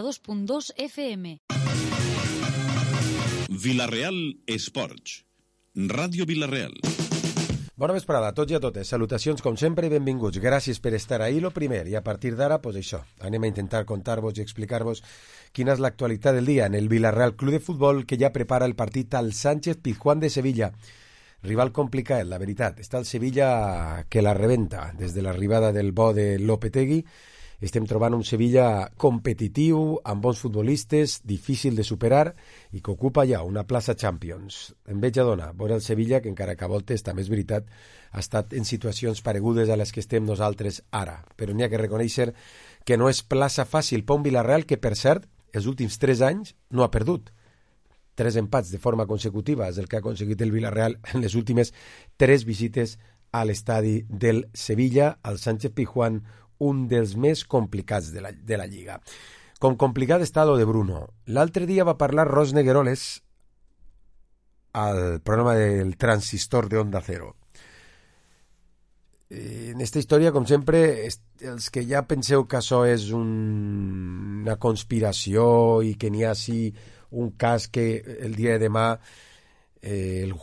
2.2 FM. Vila-real Esports. Ràdio Vila-real. Bona vesprada a tots i a totes. Salutacions com sempre i benvinguts. Gràcies per estar ahí, lo primer. I a partir d'ara, pues això, anem a intentar contar-vos i explicar-vos quina és l'actualitat del dia en el Vila-real Club de Futbol, que ja prepara el partit al Sánchez Pizjuán de Sevilla. Rival complicat, la veritat. Està el Sevilla que la rebenta. Des de l'arribada del bo de Lopetegui estem trobant un Sevilla competitiu, amb bons futbolistes, difícil de superar i que ocupa ja una plaça Champions. Enveja dona veure el Sevilla, que encara que a voltes, també és veritat, ha estat en situacions paregudes a les que estem nosaltres ara. Però n'hi ha que reconèixer que no és plaça fàcil per un Vila-real que, per cert, els últims 3 anys no ha perdut. 3 empats de forma consecutiva és el que ha aconseguit el Vila-real en les últimes 3 visites a l'estadi del Sevilla, al Sánchez Pizjuán, un dels més complicats de la Lliga. Com complicat està lo de Bruno. L'altre dia va parlar Ros Negueroles al programa del Transistor de Onda Cero. En esta història, com sempre, els que ja penseu que això és una conspiració i que n'hi ha sí un cas que el dia de demà el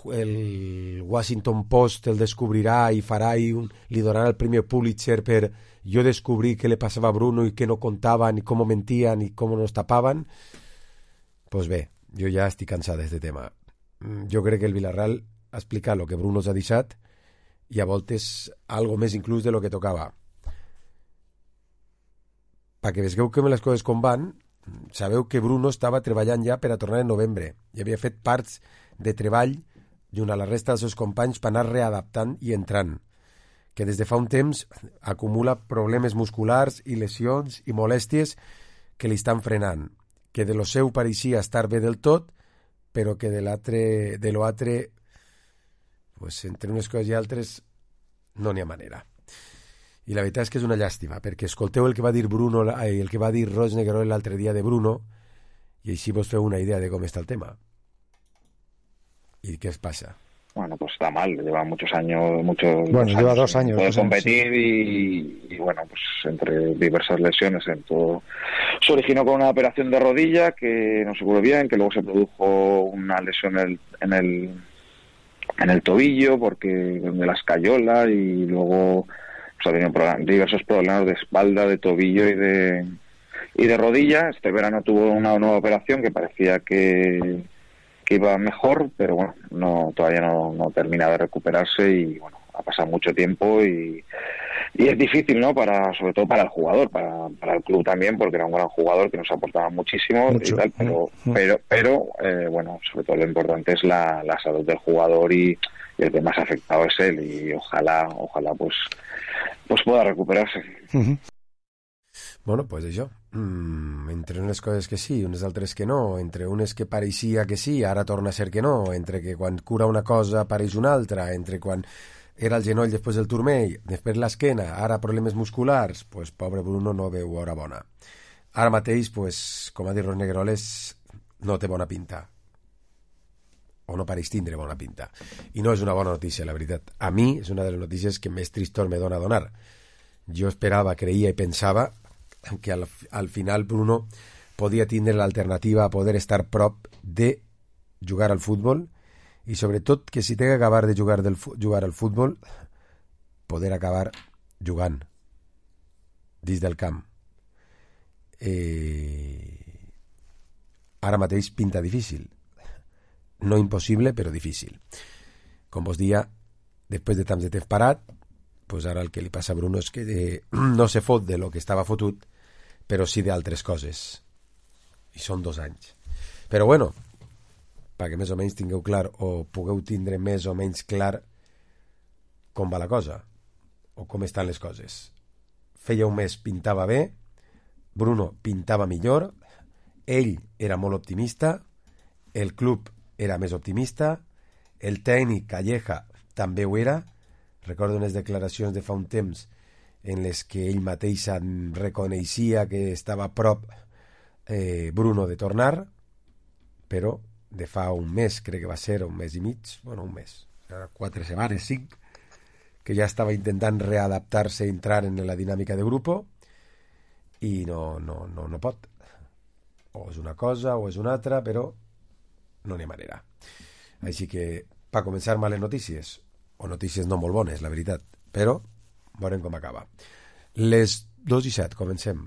Washington Post el descobrirà i farà i li donarà el premi Pulitzer per jo descobrir què li passava a Bruno i què no contaven i com mentien i com nos tapaven, pues bé, jo ja estic cansat d'aquest tema. Jo crec que el Vila-real ha explicat el que Bruno s'ha deixat i a voltes algo més inclús de lo que tocava. Perquè vegueu que les coses com van, sabeu que Bruno estava treballant ja per a tornar en novembre i havia fet parts de treball junt a la resta dels seus companys per anar readaptant i entrant, que des de fa un temps acumula problemes musculars i lesions i molèsties que li estan frenant, que de lo seu pareixia estar bé del tot, però que de l'altre, pues, entre unes coses i altres no n'hi ha manera. I la veritat és que és una llàstima, perquè escolteu el que va dir el que va dir Ros Negueroles l'altre dia de Bruno i així vos feu una idea de com està el tema. ¿Y qué os pasa? Bueno, pues está mal, lleva muchos años, lleva 2 años. Puede competir y bueno, pues entre diversas lesiones, en todo. Se originó con una operación de rodilla que no se curó bien, que luego se produjo una lesión en el tobillo porque de la escayola y luego pues, ha tenido diversos problemas de espalda, de tobillo y de rodilla. Este verano tuvo una nueva operación que parecía que iba mejor, pero bueno, todavía no termina de recuperarse y bueno, ha pasado mucho tiempo y es difícil, ¿no? Sobre todo para el jugador, para el club también, porque era un gran jugador que nos aportaba muchísimo y tal, pero bueno, sobre todo lo importante es la salud del jugador y el que más afectado es él y ojalá pues pueda recuperarse. Uh-huh. Bueno, pues això. Entre unes coses que sí, unes altres que no, entre unes que pareixia que sí, ara torna a ser que no, entre que quan cura una cosa apareix una altra, entre quan era el genoll després del turmell, després l'esquena, ara problemes musculars, pues pobre Bruno no veu hora bona. Ara mateix, pues, com ha dit Ros Negueroles, no té bona pinta. O no pareix tindre bona pinta. I no és una bona notícia, la veritat. A mi és una de les notícies que més tristor me dona donar. Jo esperava, creia i pensava que al final Bruno podia tindre l'alternativa a poder estar prop de jugar al futbol i sobretot que si té que acabar de jugar al futbol poder acabar jugant dins del camp. Ara mateix pinta difícil, no impossible però difícil. Com vos dia, després de tants de temps parat, pues ara el que li passa a Bruno és que no se fot de lo que estava fotut, però sí d'altres coses. I són 2 anys. Però bueno, perquè més o menys tingueu clar o pugueu tindre més o menys clar com va la cosa o com estan les coses. Feia un mes pintava bé, Bruno pintava millor, ell era molt optimista, el club era més optimista, el tècnic Calleja també ho era. Recordo unes declaracions de fa un temps en les que ell mateix reconeixia que estava a prop Bruno de tornar, però de fa un mes, crec que va ser un mes i mig, un mes, 4 setmanes, 5, que ja estava intentant readaptar-se, entrar en la dinàmica de grupo i no pot. o és una cosa o és una altra, però no n'hi ha manera. Així que, per començar, males notícies, o notícies no molt bones, la veritat, però veurem com acaba. Les 2:07, comencem.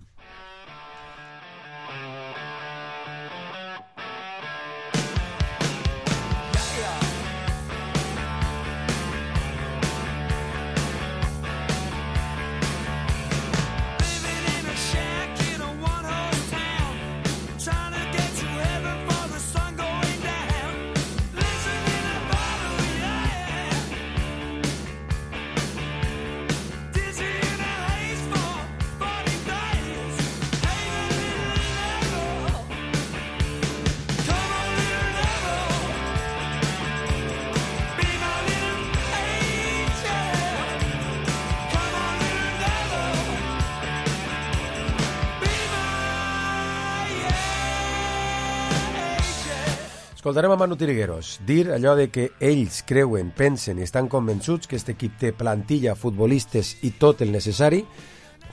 Escoltarem a Manu Trigueros dir allò de que ells creuen, pensen i estan convençuts que aquest equip té plantilla, futbolistes i tot el necessari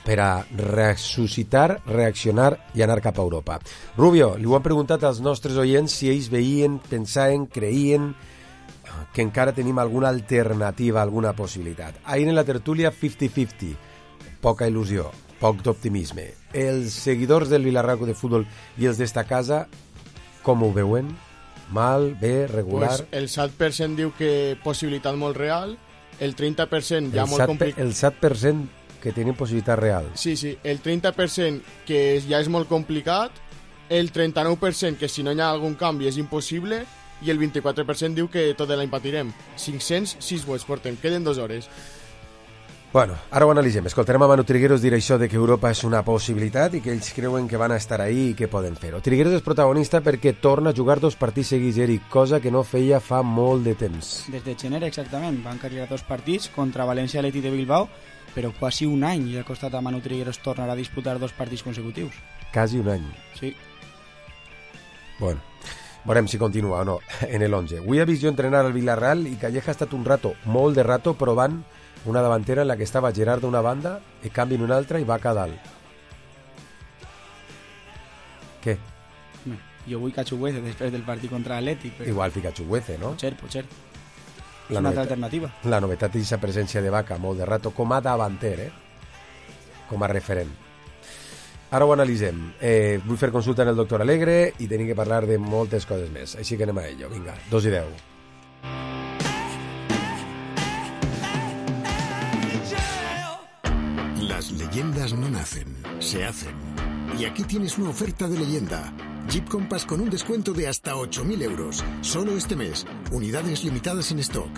per a ressuscitar, reaccionar i anar cap a Europa. Rubio, li ho han preguntat als nostres oients si ells veien, pensaven, creien que encara tenim alguna alternativa, alguna possibilitat. Ahir en la tertúlia 50-50, poca il·lusió, poc d'optimisme. Els seguidors del Villarreal de Futbol i els d'esta casa, com ho veuen? Mal, bé, regular? Pues el 7% diu que possibilitat molt real, el 30% ja molt complicat. El 7% que tenen possibilitat real. Sí, el 30% que ja és molt complicat, el 39% que si no hi ha algun canvi és impossible i el 24% diu que tot l'any patirem. 506 vots portem, queden 2 hores. Bueno, ara ho analitzem. Escoltarem a Manu Trigueros dir això de que Europa és una possibilitat i que ells creuen que van a estar ahí i que poden fer-ho. Trigueros és protagonista perquè torna a jugar 2 partits seguits, Eric, cosa que no feia fa molt de temps. Des de gener, exactament. Van carregar 2 partits contra València i Atlètic de Bilbao, però quasi un any i ha costat a Manu Trigueros tornar a disputar 2 partits consecutius. Quasi un any. Sí. Bueno, veurem si continua o no en el 11. Avui ha vist jo entrenar al Villarreal i Calleja ha estat un rato, molt de rato, provant una davantera en la que estava Gerard d'una banda i canvi en una altra i va a dalt. Què? Jo vull Cachuguece després del partit contra l'Atlètic. Però... Igual fica Chuguece, no? Potser. És una altra alternativa. La novetat és aquesta presència de Vaca molt de rato com a davanter, com a referent. Ara ho analitzem. Vull fer consulta en el doctor Alegre i tenim que parlar de moltes coses més. Així que anem a ello. Vinga, 2:10. Las leyendas no nacen, se hacen. Y aquí tienes una oferta de leyenda. Jeep Compass con un descuento de hasta 8.000 euros. Solo este mes. Unidades limitadas en stock.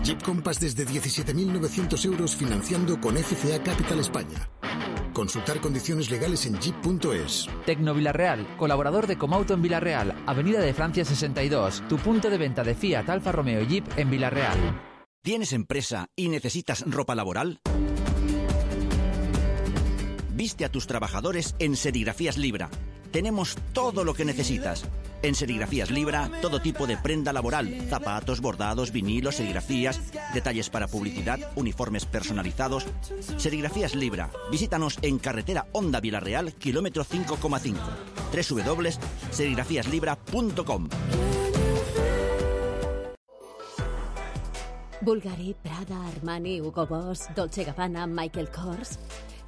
Jeep Compass desde 17.900 euros financiando con FCA Capital España. Consultar condiciones legales en jeep.es. Tecno Villarreal, colaborador de Comauto en Villarreal, Avenida de Francia 62, tu punto de venta de Fiat, Alfa Romeo y Jeep en Villarreal. ¿Tienes empresa y necesitas ropa laboral? Viste a tus trabajadores en Serigrafías Libra. Tenemos todo lo que necesitas. En Serigrafías Libra, todo tipo de prenda laboral, zapatos, bordados, vinilos, serigrafías, detalles para publicidad, uniformes personalizados. Serigrafías Libra. Visítanos en carretera Honda Villarreal, kilómetro 5,5. www.serigrafiaslibra.com. Bulgari, Prada, Armani, Hugo Boss, Dolce & Gabbana, Michael Kors.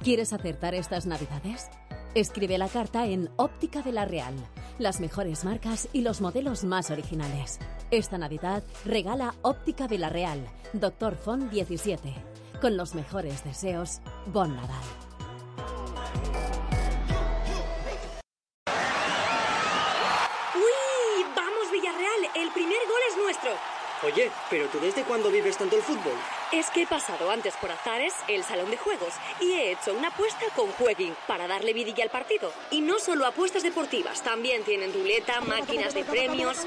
¿Quieres acertar estas Navidades? Escribe la carta en Óptica Villarreal. Las mejores marcas y los modelos más originales. Esta Navidad regala Óptica Villarreal, Dr. Font 17. Con los mejores deseos, Bon Nadal. ¡Uy! ¡Vamos, Villarreal! El primer gol es nuestro. Oye, ¿pero tú desde cuándo vives tanto el fútbol? Es que he pasado antes por Azares, el salón de juegos, y he hecho una apuesta con Jueguin para darle vidilla al partido. Y no solo apuestas deportivas, también tienen ruleta, máquinas de premios.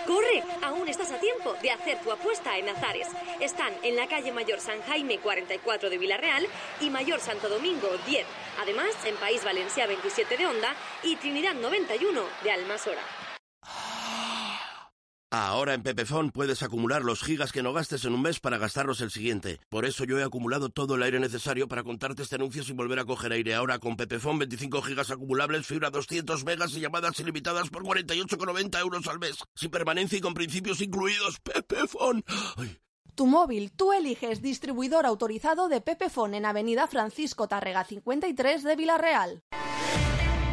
¡Corre! Aún estás a tiempo de hacer tu apuesta en Azares. Están en la calle Mayor San Jaime 44 de Villarreal y Mayor Santo Domingo 10. Además, en País Valencia 27 de Onda y Trinidad 91 de Almasora. Ahora en Pepefon puedes acumular los gigas que no gastes en un mes para gastarlos el siguiente. Por eso yo he acumulado todo el aire necesario para contarte este anuncio sin volver a coger aire. Ahora con Pepefon 25 gigas acumulables, fibra 200 megas y llamadas ilimitadas por 48,90 euros al mes. Sin permanencia y con principios incluidos. Pepefon. Ay. Tu móvil, tú eliges distribuidor autorizado de Pepefon en Avenida Francisco Tárrega 53 de Vila-real.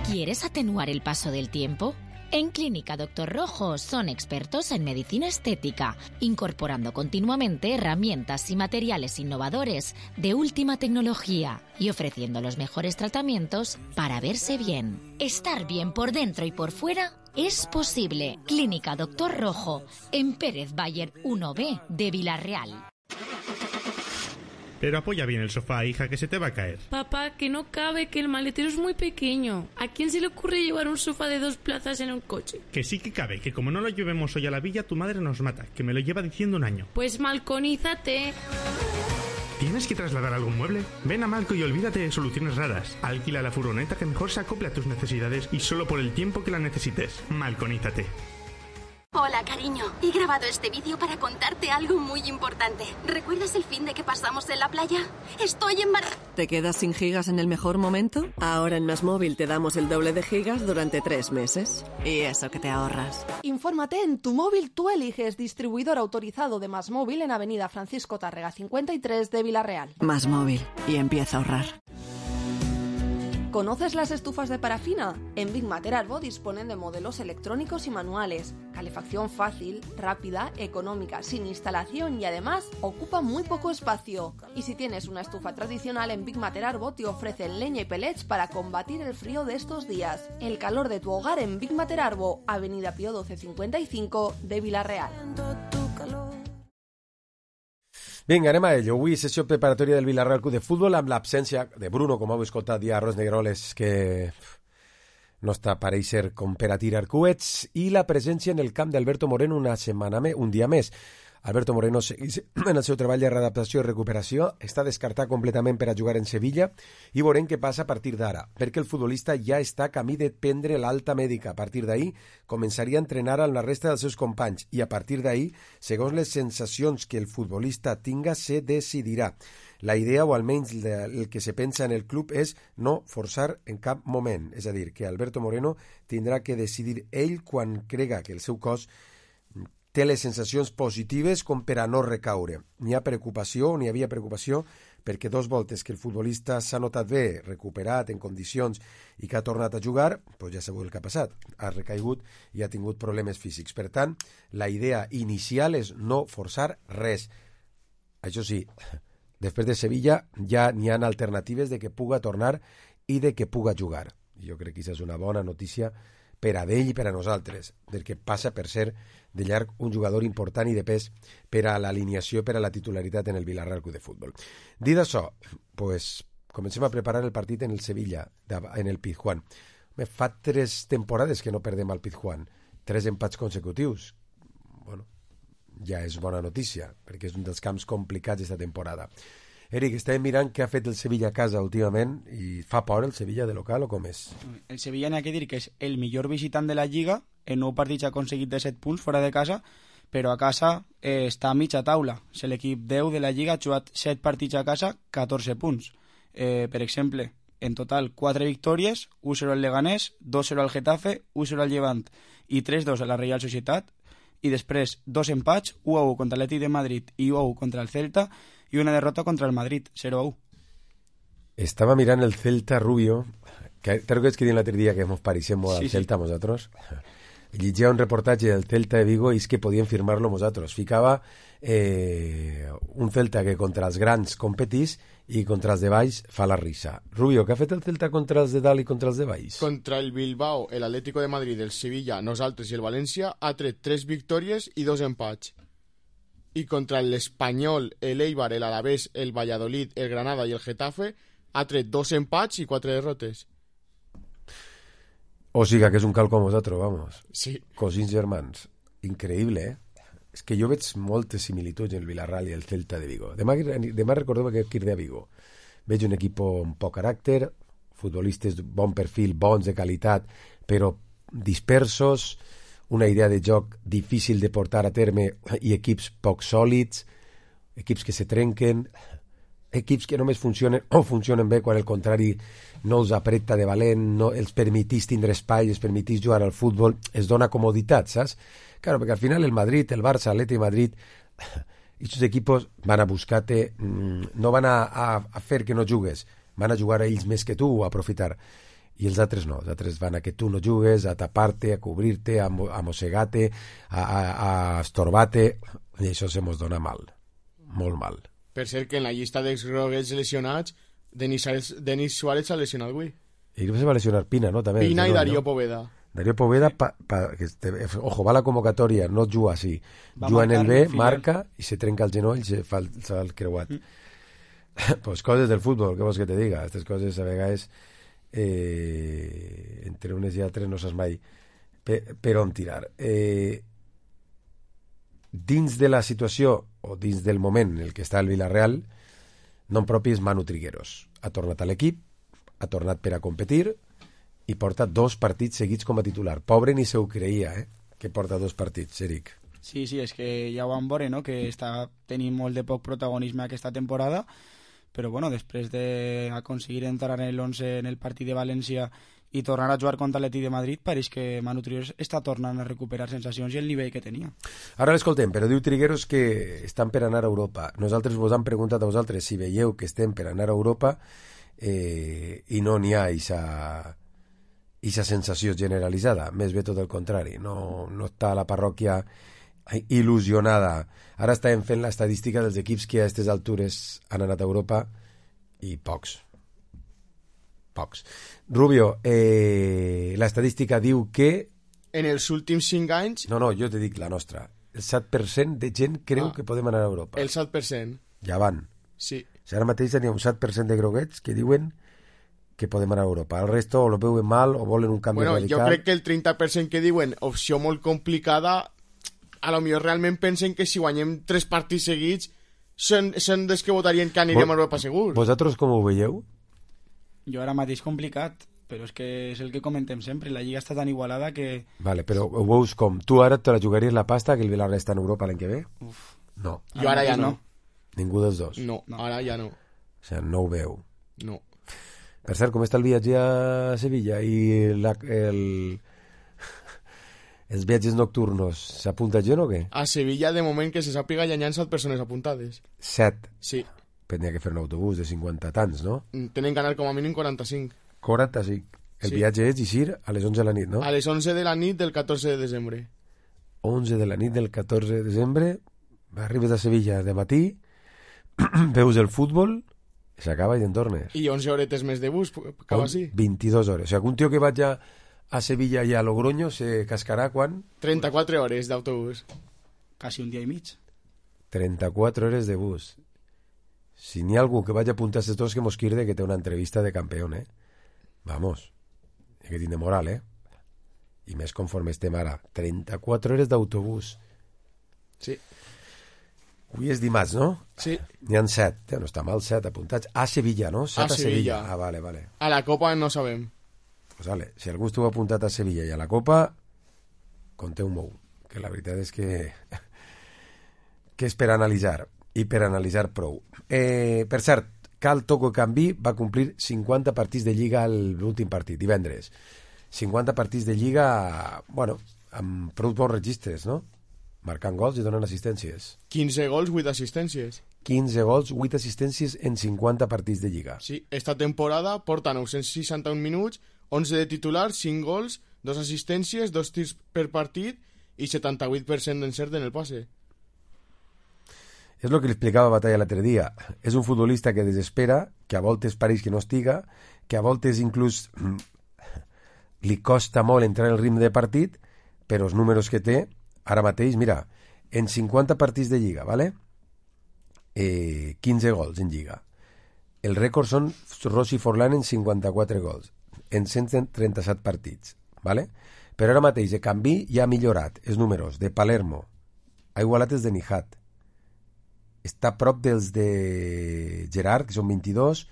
¿Quieres atenuar el paso del tiempo? En Clínica Doctor Rojo son expertos en medicina estética, incorporando continuamente herramientas y materiales innovadores de última tecnología y ofreciendo los mejores tratamientos para verse bien. Estar bien por dentro y por fuera es posible. Clínica Doctor Rojo, en Pérez Bayer 1B de Vila-real. Pero apoya bien el sofá, hija, que se te va a caer. Papá, que no cabe, que el maletero es muy pequeño. ¿A quién se le ocurre llevar un sofá de 2 plazas en un coche? Que sí que cabe, que como no lo llevemos hoy a la villa, tu madre nos mata, que me lo lleva diciendo un año. Pues malconízate. ¿Tienes que trasladar algún mueble? Ven a Malco y olvídate de soluciones raras. Alquila la furgoneta que mejor se acople a tus necesidades y solo por el tiempo que la necesites. Malconízate. Hola, cariño. He grabado este vídeo para contarte algo muy importante. ¿Recuerdas el fin de que pasamos en la playa? Estoy en ¿Te quedas sin gigas en el mejor momento? Ahora en MásMóvil te damos el doble de gigas durante 3 meses. Y eso que te ahorras. Infórmate en Tu Móvil, tú eliges distribuidor autorizado de MásMóvil en Avenida Francisco Tárrega 53 de Vila-real. MásMóvil. Y empieza a ahorrar. ¿Conoces las estufas de parafina? En Big Matter Arbo disponen de modelos electrónicos y manuales, calefacción fácil, rápida, económica, sin instalación y además ocupa muy poco espacio. Y si tienes una estufa tradicional, en Big Matter Arbo te ofrecen leña y pellets para combatir el frío de estos días. El calor de tu hogar en Big Matter Arbo, Avenida Pío 1255 de Vila-real. Vinga, anem a ello. Avui sessió preparatòria del Vila-real Club de Futbol amb l'absència de Bruno, com heu escoltat ja a Ros Negroles, que no està pareix ser com per a tirar coets, i la presència en el camp d'Alberto Moreno un dia més. Alberto Moreno segueix en el seu treball de readaptació i recuperació, està descartat completament per a jugar en Sevilla i veurem què passa a partir d'ara, perquè el futbolista ja està a camí de prendre l'alta mèdica. A partir d'ahir començaria a entrenar amb la resta dels seus companys i a partir d'ahir, segons les sensacions que el futbolista tinga, se decidirà. La idea, o almenys el que se pensa en el club, és no forçar en cap moment. És a dir, que Alberto Moreno tindrà que decidir ell quan crega que el seu cos té les sensacions positives com per a no recaure. N'hi havia preocupació perquè 2 voltes que el futbolista s'ha notat bé, recuperat, en condicions i que ha tornat a jugar, doncs ja sabeu el que ha passat. Ha recaigut i ha tingut problemes físics. Per tant, la idea inicial és no forçar res. Això sí, després de Sevilla ja n'hi ha alternatives de que puga tornar i de que puga jugar. Jo crec que això és una bona notícia per a ell i per a nosaltres, del que passa per ser de llarg un jugador important i de pes per a l'alineació, per a la titularitat en el Vila-real Club de Futbol. Dit això, pues, comencem a preparar el partit en el Sevilla, en el Pizjuán. Fa 3 temporades que no perdem al Pizjuán, 3 empats consecutius. Bueno, ja és bona notícia, perquè és un dels camps complicats aquesta temporada. Eric, estàvem mirant què ha fet el Sevilla a casa últimament i fa por el Sevilla de local o com és? El Sevilla n'hi ha que dir que és el millor visitant de la Lliga, en 9 partits ha aconseguit de 7 punts fora de casa, però a casa està a mitja taula. És l'equip 10 de la Lliga, ha jugat 7 partits a casa, 14 punts. Per exemple, en total 4 victòries, 1-0 al Leganés, 2-0 al Getafe, 1-0 al Llevant i 3-2 a la Real Societat, i després 2 empats, 1-1 contra l'Atlètic de Madrid i 1-1 contra el Celta, i una derrota contra el Madrid, 0-1. Estava mirant el Celta, Rubio, que te recordes que l'altre dia que ens pareixem molt al Celta, nosaltres? Llegia un reportatge del Celta de Vigo i és que podien firmar-lo nosaltres. Ficava un Celta que contra els grans competís i contra els de baix fa la risa. Rubio, què ha fet el Celta contra els de dalt i contra els de baix? Contra el Bilbao, el Atlético de Madrid, el Sevilla, nosaltres i el València ha tret 3 victòries i 2 empats. Y contra el Español, el Eibar, el Alavés, el Valladolid, el Granada y el Getafe ha tret 2 empats i 4 derrotes. O sigui que és un cal com vosaltres, vamos. Sí. Cosins germans. Increïble, És que jo veig moltes similituds en el Vila-real i el Celta de Vigo. Demà recordeu que aquí de Vigo veig un equip amb poc caràcter, futbolistes de bon perfil, bons de qualitat, però dispersos, una idea de joc difícil de portar a terme i equips poc sòlids, equips que se trenquen, equips que només funcionen o funcionen bé quan el contrari no els apreta de valent, no els permetís tindre espai, els permetís jugar al futbol, es dona comoditat, saps? Claro, perquè al final el Madrid, el Barça, l'Atleti de Madrid, aquests equipos van a buscar-te, no van a fer que no jugues, van a jugar a ells més que tu, a aprofitar. I els altres no, els altres van a que tu no jugues, a tapar-te, a cobrir-te, a mossegar-te, a estorbar-te, i això se mos dona mal, molt mal. Per cert, que en la llista d'exgroguets lesionats, Denis Suárez s'ha lesionat avui. I se va lesionar Pina, no? També, Pina i Darío Poveda. Darío Poveda, ojo, va a la convocatòria, no juga així. Juga en el B, marca, i se trenca el genoll, se fa el creuat. Pues coses del futbol, què vols que te diga? Aquestes coses a vegades entre unes i altres no saps mai per on tirar. Dins de la situació o dins del moment en el que està el Villarreal, nom propi és Manu Trigueros. Ha tornat a l'equip, ha tornat per a competir i porta 2 partits seguits com a titular. Pobre ni se ho creia, que porta 2 partits, Eric. Sí, és que ja ho vam veure, no?, que està tenint molt de poc protagonisme aquesta temporada, però bueno, després d'aconseguir entrar en l'11 en el partit de València i tornar a jugar contra l'Atleti de Madrid, pareix que Manu Trigueros està tornant a recuperar sensacions i el nivell que tenia. Ara l'escoltem, però diu Trigueros que estan per anar a Europa. Nosaltres vos hem preguntat a vosaltres si veieu que estem per anar a Europa i no n'hi ha aquesta sensació generalitzada, més bé tot el contrari, no està la parròquia il·lusionada. Ara estàvem fent l'estadística dels equips que a aquestes altures han anat a Europa i pocs. Rubio, l'estadística diu que en els últims 5 anys... No, jo te dic la nostra. El 7% de gent creu que podem anar a Europa. El 7%. Ja van. Sí. O sigui, ara mateix n'hi ha un 7% de groguets que diuen que podem anar a Europa. El resto o lo veuen mal o volen un canvi radical. Jo crec que el 30% que diuen opció molt complicada, a lo millor realment pensen que si guanyem 3 partits seguits són des que votarien que anirem a Europa segur. Vosaltres com ho veieu? Jo ara mateix complicat, però és que és el que comentem sempre, la lliga està tan igualada que... Vale, però ho veus com? Tu ara te la jugaries la pasta que el Villarreal està en Europa l'any que ve? Uf. No. Jo ara ja no. Ningú dels dos? No, ara ja no. O sigui, no ho veu. No. Per cert, com està el viatge a Sevilla i els viatges nocturnos? S'apunta gent o què? A Sevilla, de moment que se sàpiga, ja hi ha 7 persones apuntades. 7? Sí. Tenia que fer un autobús de 50 tants, no? Tenen que anar com a mínim 45. 45. El viatge és eixir a les 11 de la nit, no? A les 11 de la nit del 14 de desembre. 11 de la nit del 14 de desembre, arribes a Sevilla de matí, veus el futbol, s'acaba i te'n tornes. I 11 horetes més de bus, cap així. 22 hores. O sigui, un tio que vaig a Sevilla i a Logroño se cascarà quan? 34 hores d'autobús. Quasi un dia i mig. 34 hores de bus. Si n'hi ha algú que vagi a apuntar a aquests dos, que mos quirde que té una entrevista de campeón, Vamos. Hay que tindre moral, I més conforme estem ara. 34 hores d'autobús. Sí. Avui és dimarts, no? Sí. N'hi ha 7. No està mal, 7 apuntats. A Sevilla, no? 7 a Sevilla. Ah, vale. A la Copa no sabem. Pues vale. Si algú esteu apuntat a Sevilla i a la Copa, conteu-m'ho. Que la veritat és que és per analitzar. I per analitzar prou. Per cert, Cal Toco Canví va complir 50 partits de Lliga l'últim partit, divendres. 50 partits de Lliga, bueno, amb prou bons registres, no? Marcant gols i donant assistències. 15 gols, 8 assistències. 15 gols, 8 assistències en 50 partits de Lliga. Sí, esta temporada porta 961 minuts, 11 de titular, 5 gols, 2 assistències, 2 tirs per partit i 78% d'encert en el passe. És el que li explicava Batalla l'altre dia. És un futbolista que desespera, que a voltes pareix que no estiga, que a voltes inclús li costa molt entrar en el ritme de partit, però els números que té, ara mateix, mira, en 50 partits de Lliga, ¿vale? 15 gols en Lliga. El rècord són Rossi Forlán en 54 gols, en 137 partits, ¿vale? Però ara mateix de Canví ja ha millorat els números de Palermo, ha igualat els de Nijat, està a prop dels de Gerard, que són 22,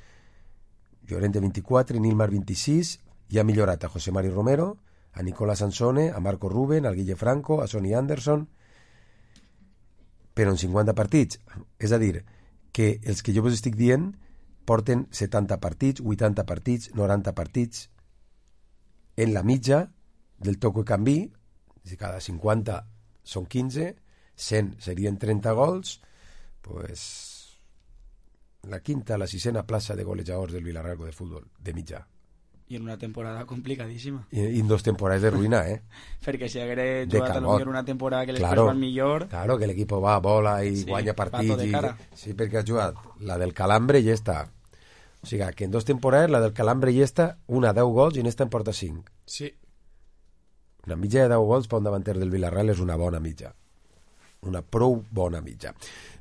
Llorente 24, Nilmar 26, i ha millorat a José Mari Romero, a Nicola Sansone, a Marco Ruben, al Guille Franco, a Sonny Anderson, però en 50 partits. És a dir, que els que jo vos estic dient porten 70 partits, 80 partits, 90 partits. En la mitja del toco i canvi, si cada 50 són 15, 100 serien 30 gols, pues la quinta, la sisena plaça de golejadors del Villarreal de Futbol, de mitjà. I en una temporada complicadíssima. I en 2 temporades de ruïna, Perquè si hagués jugat a lo millor una temporada que l'espès van millor... Claro, que l'equip va, vola i guanya partits. Sí, perquè ha jugat la del Calambre i ja està. O sigui, que en 2 temporades la del Calambre ja està, una 10 gols i en esta en porta 5. Sí. Una mitja de 10 gols per un davanter del Villarreal és una bona mitja. Una prou bona mitja.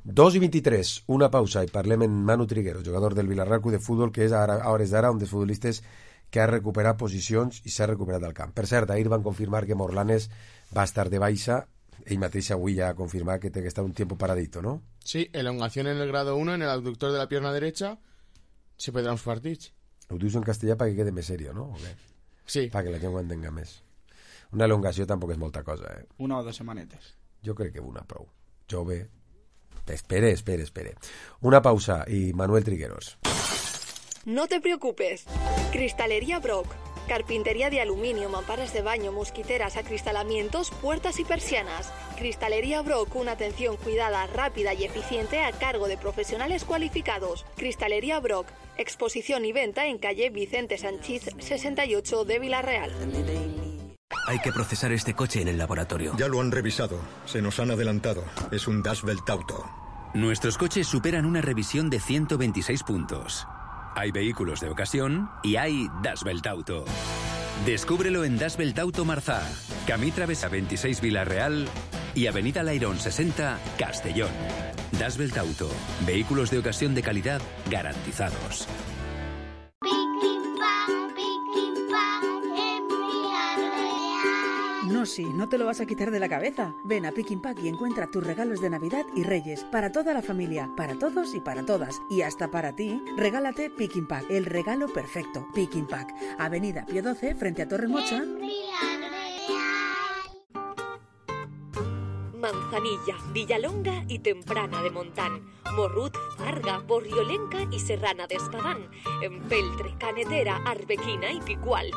2:23, una pausa i parlem en Manu Triguero, jugador del Villarreal Club de Futbol, que és a hores d'ara un dels futbolistes que ha recuperat posicions i s'ha recuperat del camp. Per cert, ahir van confirmar que Morlanes va estar de baixa, ell mateix avui ja ha confirmat que té que estar un tiempo paradito, ¿no? Sí, elongación en el grado 1 en el abductor de la pierna derecha, se perdrà uns partits. Ho dius en castellà perquè quede més serio, no? Okay. Sí. Perquè la gent ho entenga més. Una elongació tampoc és molta cosa, eh? 1 o 2 setmanetes. Jo crec que una prou. Jove. Espere. Una pausa y Manuel Trigueros. No te preocupes. Cristalería Brock. Carpintería de aluminio, mamparas de baño, mosquiteras, acristalamientos, puertas y persianas. Cristalería Brock, una atención cuidada, rápida y eficiente a cargo de profesionales cualificados. Cristalería Brock, exposición y venta en calle Vicente Sanchís 68 de Villarreal. Hay que procesar este coche en el laboratorio. Ya lo han revisado. Se nos han adelantado. Es un Dashbelt Auto. Nuestros coches superan una revisión de 126 puntos. Hay vehículos de ocasión y hay Dashbelt Auto. Descúbrelo en Dashbelt Auto Marzá, Camí Travesa 26 Villarreal y Avenida Lairón 60 Castellón. Dashbelt Auto. Vehículos de ocasión de calidad garantizados. No, sí, no te lo vas a quitar de la cabeza. Ven a Pick Pack y encuentra tus regalos de Navidad y Reyes. Para toda la familia, para todos y para todas. Y hasta para ti, regálate Pick Pack, el regalo perfecto. Pick Pack, Avenida Pío 12, frente a Torre Mocha. Manzanilla, Villalonga y Temprana de Montán, Morrut, Farga, Borriolenca y Serrana de Espadán, Empeltre, Canetera, Arbequina y Picual.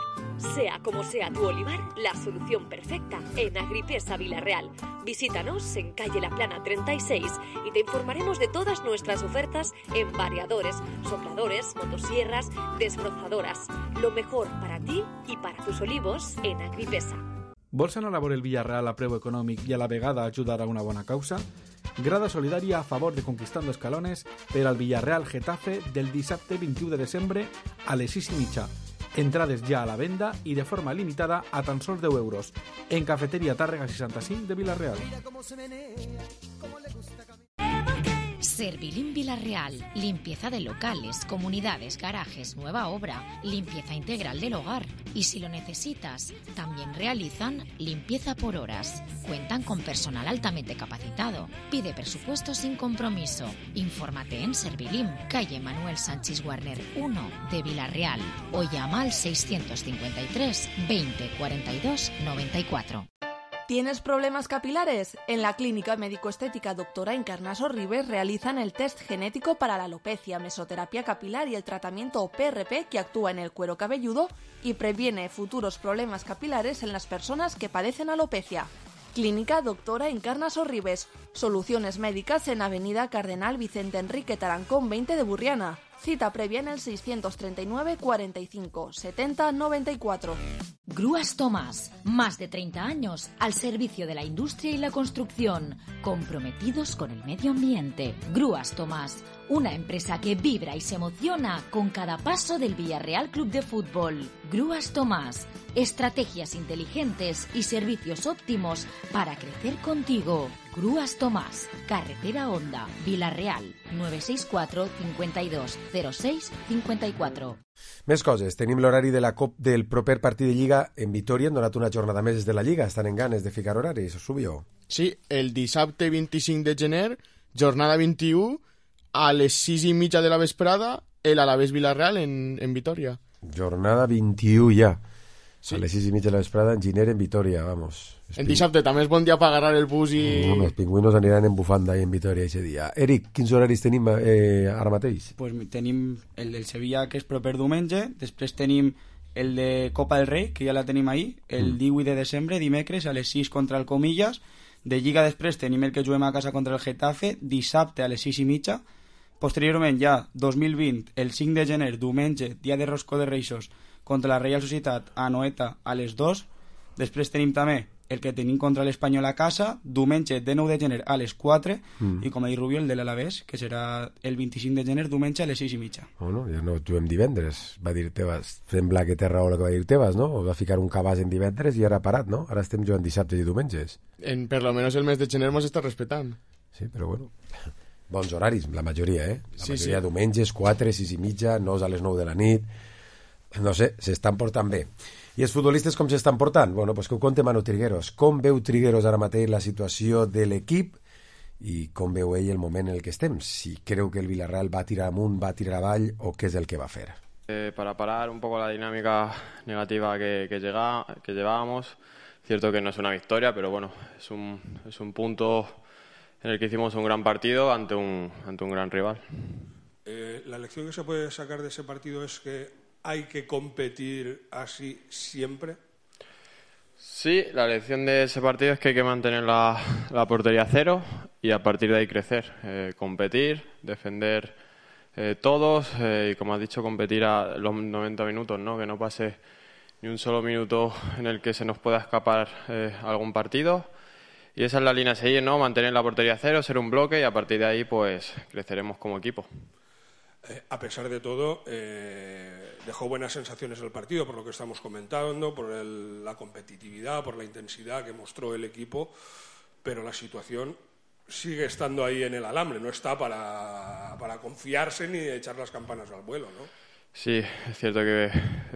Sea como sea tu olivar, la solución perfecta en Agripesa Villarreal. Visítanos en calle La Plana 36 y te informaremos de todas nuestras ofertas en variadores, sopladores, motosierras, desbrozadoras. Lo mejor para ti y para tus olivos en Agripesa. Vols anar a veure el Villarreal a preu econòmic i a la vegada ajudar a una bona causa? Grada solidària a favor de Conquistando Escalones per al Villarreal Getafe del dissabte 21 de desembre a les 6:30. Entrades ja a la venda i de forma limitada a tan sols 10 euros en Cafeteria Tàrrega 65 de Villarreal. Servilim Villarreal, limpieza de locales, comunidades, garajes, nueva obra, limpieza integral del hogar. Y si lo necesitas, también realizan limpieza por horas. Cuentan con personal altamente capacitado. Pide presupuesto sin compromiso. Infórmate en Servilim, calle Manuel Sánchez Warner 1 de Villarreal o llama al 653 20 42 94. ¿Tienes problemas capilares? En la Clínica Médico-Estética Doctora Encarnaso Ribes realizan el test genético para la alopecia, mesoterapia capilar y el tratamiento PRP que actúa en el cuero cabelludo y previene futuros problemas capilares en las personas que padecen alopecia. Clínica Doctora Encarnaso Ribes. Soluciones médicas en Avenida Cardenal Vicente Enrique Tarancón 20 de Burriana. Cita previa en el 639 45 70 94. Grúas Tomás, más de 30 años al servicio de la industria y la construcción, comprometidos con el medio ambiente. Grúas Tomás, una empresa que vibra y se emociona con cada paso del Villarreal Club de Fútbol. Grúas Tomás, estrategias inteligentes y servicios óptimos para crecer contigo. Grúas Tomás, Carretera Honda, Villarreal, 964 52 06 54. Més coses. Tenim l'horari de la COP del proper partit de Lliga en Vitoria. Han donat una jornada més des de la Lliga. Estan en ganes de ficar horaris, Subió? Sí, el dissabte 25 de gener, jornada 21, a les 6:30 de la vesprada, el Alavés Villarreal en Vitoria. Jornada 21 ja. Sí. A les 6:30 de la vesprada en Giner, en Vitoria, vamos. En dissabte també és bon dia per agarrar el bus i... Home, els pingüinos aniran en bufanda ahí en Vitoria ese dia. Eric, quins horaris tenim ara mateix? Pues tenim el del Sevilla, que és proper diumenge, després tenim el de Copa del Rei, que ja la tenim ahí, el 18 de desembre, dimecres, a les 6 contra el Comillas. De Lliga després tenim el que juguem a casa contra el Getafe, dissabte a les 6:30. Posteriorment ja, 2020, el 5 de gener, diumenge, dia de Roscó de Reixos, contra la Reial Societat a Noeta a les 2. Després tenim també el que tenim contra l'Espanyol a casa, diumenge de 9 de gener a les 4, i com ha dit Rubio, el de l'Alavés, que serà el 25 de gener, diumenge a les 6:30. Bueno, ja no juguem divendres, va dir Tebas. Sembla que té raó el que va dir Tebas, no? Va ficar un cabàs en divendres i ara ha parat, no? Ara estem jugant dissabtes i diumenges. Per lo menos el mes de gener mos està respetant. Sí, però bueno... Bons horaris, la majoria, La sí, majoria sí. Diumenges, 4, 6:30, 9 a les 9 de la nit... No sé, s'estan portant bé. I els futbolistes com s'estan portant? Bueno, pues que ho conte Manu Trigueros. Com veu Trigueros ara mateix la situació de l'equip i com veu ell el moment en el que estem? Si creu que el Villarreal va tirar amunt, va tirar avall o què és el que va fer? Para parar un poco la dinámica negativa que llevábamos, cierto que no es una victoria, pero bueno, es un punto en el que hicimos un gran partido ante un gran rival. La lección que se puede sacar de ese partido es que ¿hay que competir así siempre? Sí, la lección de ese partido es que hay que mantener la portería a cero y a partir de ahí crecer, competir, defender todos y como has dicho, competir a los 90 minutos, ¿no? Que no pase ni un solo minuto en el que se nos pueda escapar algún partido. Y esa es la línea a seguir, ¿no? Mantener la portería a cero, ser un bloque y a partir de ahí pues creceremos como equipo. A pesar de todo, dejó buenas sensaciones el partido, por lo que estamos comentando, por la competitividad, por la intensidad que mostró el equipo, pero la situación sigue estando ahí en el alambre, no está para confiarse ni echar las campanas al vuelo, ¿no? Sí, es cierto que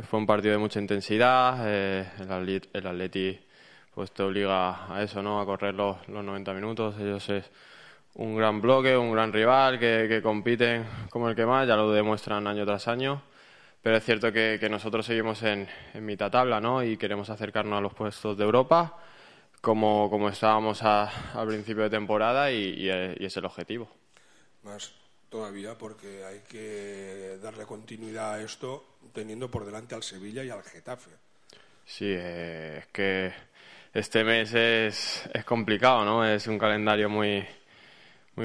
fue un partido de mucha intensidad, el Atleti pues te obliga a eso, ¿no? A correr los 90 minutos, ellos es un gran bloque, un gran rival que compiten como el que más, ya lo demuestran año tras año, pero es cierto que nosotros seguimos en mitad tabla, ¿no? Y queremos acercarnos a los puestos de Europa como estábamos al principio de temporada y es el objetivo. Más todavía porque hay que darle continuidad a esto teniendo por delante al Sevilla y al Getafe. Sí, es que este mes es complicado, ¿no? Es un calendario muy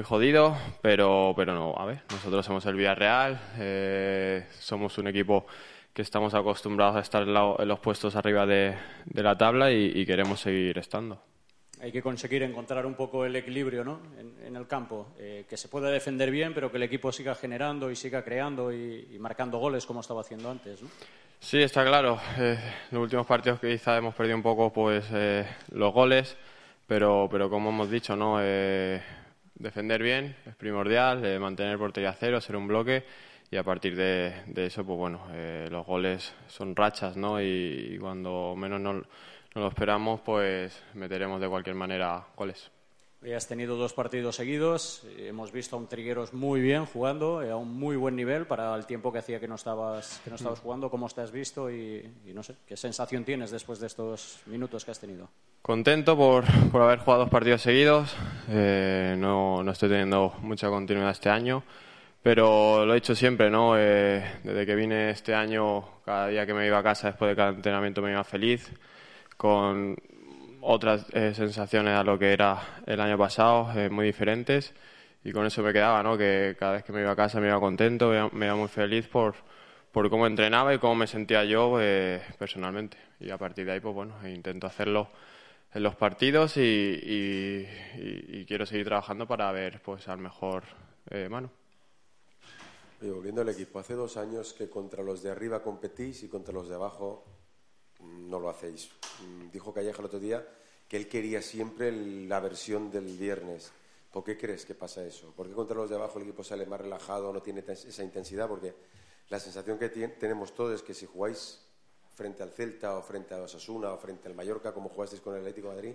jodido, pero no, a ver, nosotros somos el Villarreal, somos un equipo que estamos acostumbrados a estar en los puestos arriba de la tabla y queremos seguir estando. Hay que conseguir encontrar un poco el equilibrio, ¿no? en el campo, que se pueda defender bien, pero que el equipo siga generando y siga creando y marcando goles como estaba haciendo antes, ¿no? Sí, está claro. En los últimos partidos quizá hemos perdido un poco pues los goles, pero como hemos dicho, ¿no? Defender bien es primordial, mantener portería a cero, ser un bloque y a partir de eso, pues bueno, los goles son rachas, ¿no? Y cuando menos no lo esperamos, pues meteremos de cualquier manera goles. Hoy has tenido 2 partidos seguidos, hemos visto a un Trigueros muy bien jugando, a un muy buen nivel para el tiempo que hacía que no estabas jugando. ¿Cómo te has visto y no sé, qué sensación tienes después de estos minutos que has tenido? Contento por haber jugado 2 partidos seguidos, no estoy teniendo mucha continuidad este año, pero lo he hecho siempre, ¿no? Desde que vine este año, cada día que me iba a casa después de cada entrenamiento me iba feliz, con otras sensaciones a lo que era el año pasado, muy diferentes, y con eso me quedaba, ¿no? Que cada vez que me iba a casa me iba contento, me iba muy feliz por cómo entrenaba y cómo me sentía yo personalmente, y a partir de ahí pues bueno, intento hacerlo en los partidos y quiero seguir trabajando para ver pues al mejor Manu. Y volviendo al equipo, hace 2 años que contra los de arriba competís y contra los de abajo no lo hacéis. Dijo Calleja el otro día que él quería siempre la versión del viernes. ¿Por qué crees que pasa eso? ¿Por qué contra los de abajo el equipo sale más relajado, no tiene esa intensidad? Porque la sensación que tenemos todos es que si jugáis frente al Celta o frente a Osasuna o frente al Mallorca, como jugasteis con el Atlético de Madrid,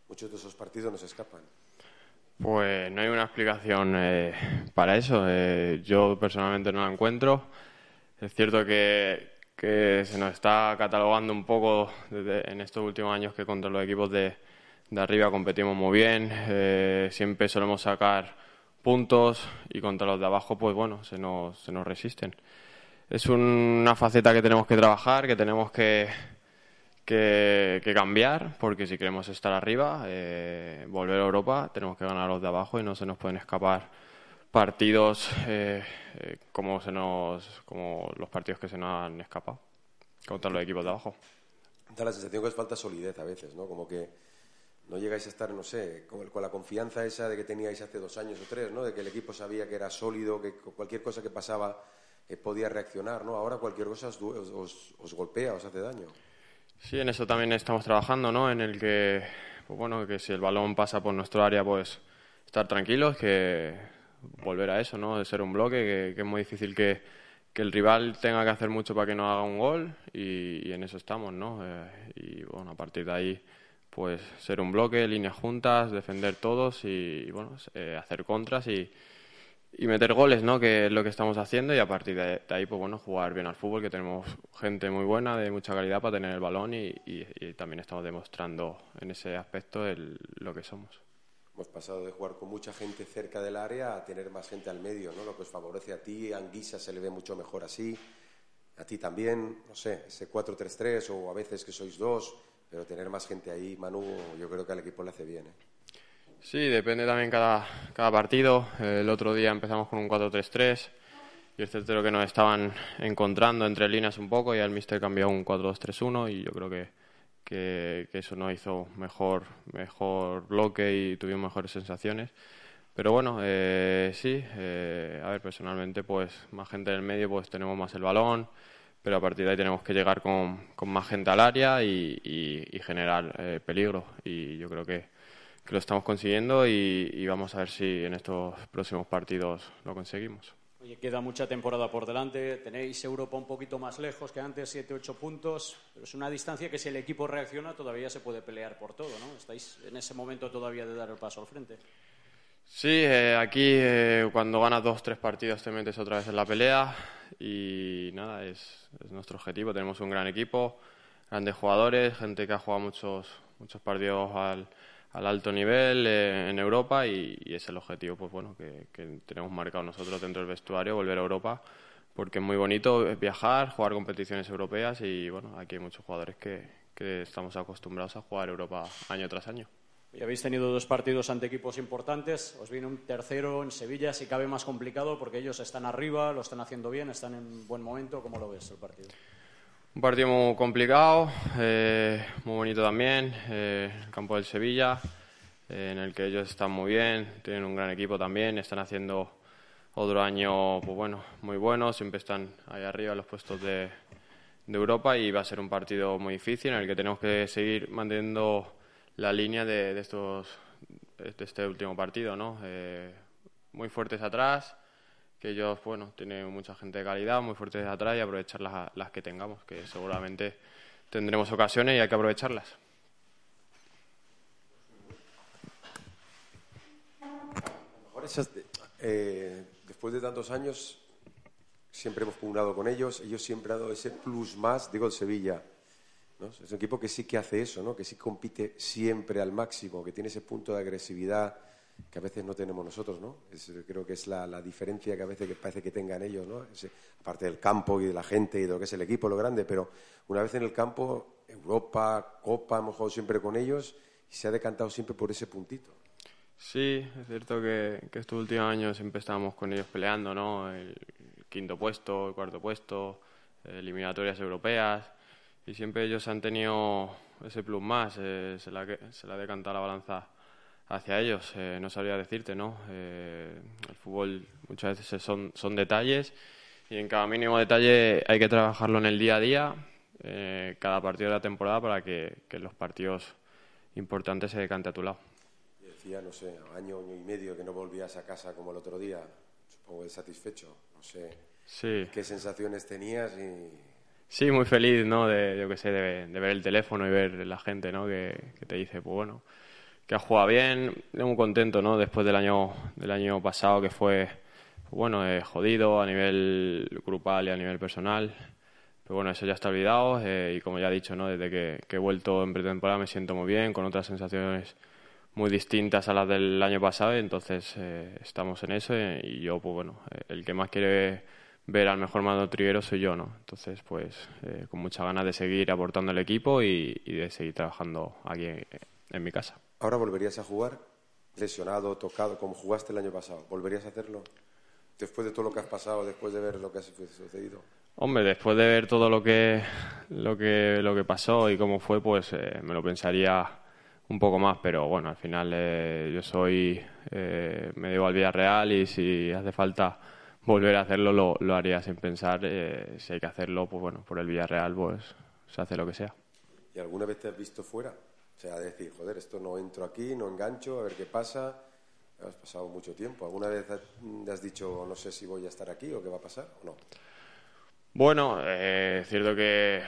muchos de esos partidos nos escapan. Pues no hay una explicación para eso. Yo personalmente no la encuentro. Es cierto que que se nos está catalogando un poco en estos últimos años que contra los equipos de arriba competimos muy bien, siempre solemos sacar puntos y contra los de abajo pues bueno, se nos resisten. Es una faceta que tenemos que trabajar, que tenemos que cambiar, porque si queremos estar arriba, volver a Europa, tenemos que ganar a los de abajo y no se nos pueden escapar partidos como los partidos que se nos han escapado contra los equipos de abajo. Da la sensación que os falta solidez a veces, ¿no? Como que no llegáis a estar, no sé, con la confianza esa de que teníais hace 2 años o 3, ¿no? De que el equipo sabía que era sólido, que cualquier cosa que pasaba podía reaccionar, ¿no? Ahora cualquier cosa os golpea, os hace daño. Sí, en eso también estamos trabajando, ¿no? En el que, pues bueno, que si el balón pasa por nuestro área, pues estar tranquilos, que volver a eso, ¿no? De ser un bloque, que es muy difícil que el rival tenga que hacer mucho para que no haga un gol y en eso estamos, ¿no? Y bueno, a partir de ahí, pues ser un bloque, líneas juntas, defender todos y bueno, hacer contras y meter goles, ¿no? Que es lo que estamos haciendo y a partir de ahí, pues bueno, jugar bien al fútbol, que tenemos gente muy buena, de mucha calidad para tener el balón y también estamos demostrando en ese aspecto lo que somos. Hemos pasado de jugar con mucha gente cerca del área a tener más gente al medio, ¿no? Lo que os favorece a ti, a Anguissa se le ve mucho mejor así, a ti también, no sé, ese 4-3-3 o a veces que sois 2, pero tener más gente ahí, Manu, yo creo que al equipo le hace bien, ¿eh? Sí, depende también cada partido. El otro día empezamos con un 4-3-3 y es cierto que nos estaban encontrando entre líneas un poco y el míster cambió un 4-2-3-1 y yo creo que eso nos hizo mejor bloque y tuvimos mejores sensaciones. Pero bueno, sí, a ver, personalmente pues más gente en el medio pues tenemos más el balón, pero a partir de ahí tenemos que llegar con más gente al área y generar peligro y yo creo que lo estamos consiguiendo y vamos a ver si en estos próximos partidos lo conseguimos. Oye, queda mucha temporada por delante, tenéis Europa un poquito más lejos que antes, 7-8 puntos, pero es una distancia que si el equipo reacciona todavía se puede pelear por todo, ¿no? ¿Estáis en ese momento todavía de dar el paso al frente? Sí, aquí cuando ganas 2-3 partidos te metes otra vez en la pelea y nada, es nuestro objetivo. Tenemos un gran equipo, grandes jugadores, gente que ha jugado muchos partidos al alto nivel en Europa y es el objetivo, pues bueno, que tenemos marcado nosotros dentro del vestuario, volver a Europa, porque es muy bonito viajar, jugar competiciones europeas y bueno, aquí hay muchos jugadores que estamos acostumbrados a jugar Europa año tras año. Y habéis tenido 2 partidos ante equipos importantes, os viene un tercero en Sevilla, si cabe más complicado porque ellos están arriba, lo están haciendo bien, están en buen momento. ¿Cómo lo ves el partido? Un partido muy complicado, muy bonito también, el campo del Sevilla, en el que ellos están muy bien, tienen un gran equipo también, están haciendo otro año pues bueno, muy bueno, siempre están ahí arriba en los puestos de Europa y va a ser un partido muy difícil en el que tenemos que seguir manteniendo la línea de este último partido, ¿no? Muy fuertes atrás, que ellos, bueno, tienen mucha gente de calidad, muy fuertes atrás y aprovechar las que tengamos, que seguramente tendremos ocasiones y hay que aprovecharlas. Después de tantos años siempre hemos pugnado con ellos siempre han dado ese plus más, digo el Sevilla, ¿no? Es un equipo que sí que hace eso, ¿no? Que sí compite siempre al máximo, que tiene ese punto de agresividad que a veces no tenemos nosotros, ¿no? Creo que es la diferencia que a veces parece que tengan ellos, ¿no? Aparte del campo y de la gente y de lo que es el equipo, lo grande, pero una vez en el campo, Europa, Copa, hemos jugado siempre con ellos y se ha decantado siempre por ese puntito. Sí, es cierto que estos últimos años siempre estábamos con ellos peleando, ¿no? El 5º puesto, el 4º puesto, eliminatorias europeas y siempre ellos han tenido ese plus más, se la ha decantado la balanza hacia ellos, no sabría decirte, ¿no? El fútbol muchas veces son detalles y en cada mínimo detalle hay que trabajarlo en el día a día, cada partido de la temporada para que los partidos importantes se decante a tu lado. Decía, no sé, año y medio que no volvías a casa como el otro día, supongo que satisfecho, no sé, sí. ¿Qué sensaciones tenías? Sí, muy feliz, ¿no? De ver el teléfono y ver la gente, ¿no? Que te dice, pues bueno, que has jugado bien, muy contento, ¿no? Después del año pasado que fue, bueno, jodido a nivel grupal y a nivel personal, bueno, eso ya está olvidado y como ya he dicho, ¿no? Desde que he vuelto en pretemporada me siento muy bien, con otras sensaciones muy distintas a las del año pasado, y entonces estamos en eso y yo, pues bueno, el que más quiere ver al mejor Manu Trigueros soy yo, ¿no? Entonces, pues con muchas ganas de seguir aportando al equipo y de seguir trabajando aquí en mi casa. ¿Ahora volverías a jugar lesionado, tocado, como jugaste el año pasado? ¿Volverías a hacerlo? Después de todo lo que has pasado, después de ver lo que ha sucedido. Hombre, después de ver todo lo que pasó y cómo fue, pues me lo pensaría un poco más, pero bueno, al final yo me debo al Villarreal y si hace falta volver a hacerlo lo haría sin pensar. Si hay que hacerlo, pues bueno, por el Villarreal pues se hace lo que sea. ¿Y alguna vez te has visto fuera? O sea, decir, joder, esto no entro aquí, no engancho, a ver qué pasa. Has pasado mucho tiempo. ¿Alguna vez has dicho, no sé si voy a estar aquí o qué va a pasar o no? Bueno, es cierto que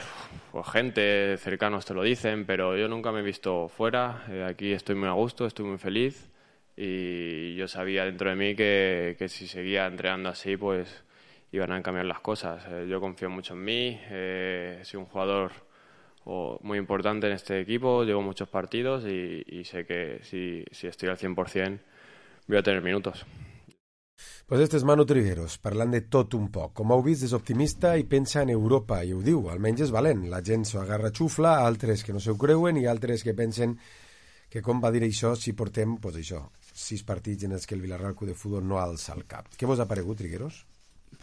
pues, gente cercanos te lo dicen, pero yo nunca me he visto fuera. Aquí estoy muy a gusto, estoy muy feliz y yo sabía dentro de mí que si seguía entrenando así, pues iban a cambiar las cosas. Yo confío mucho en mí, he sido un jugador muy importante en este equipo, llevo muchos partidos y sé que si estoy al 100% voy a tener minutos. Pues este és Manu Trigueros, parlant de tot un poc. Com heu vist, és optimista i pensa en Europa, i ho diu, almenys és valent. La gent s'ho agarra xufla, altres que no s'ho creuen i altres que pensen que com va dir això si portem, pues això, 6 partits en els que el Villarreal Club de Futbol no alça el cap. Què vos ha paregut, Trigueros?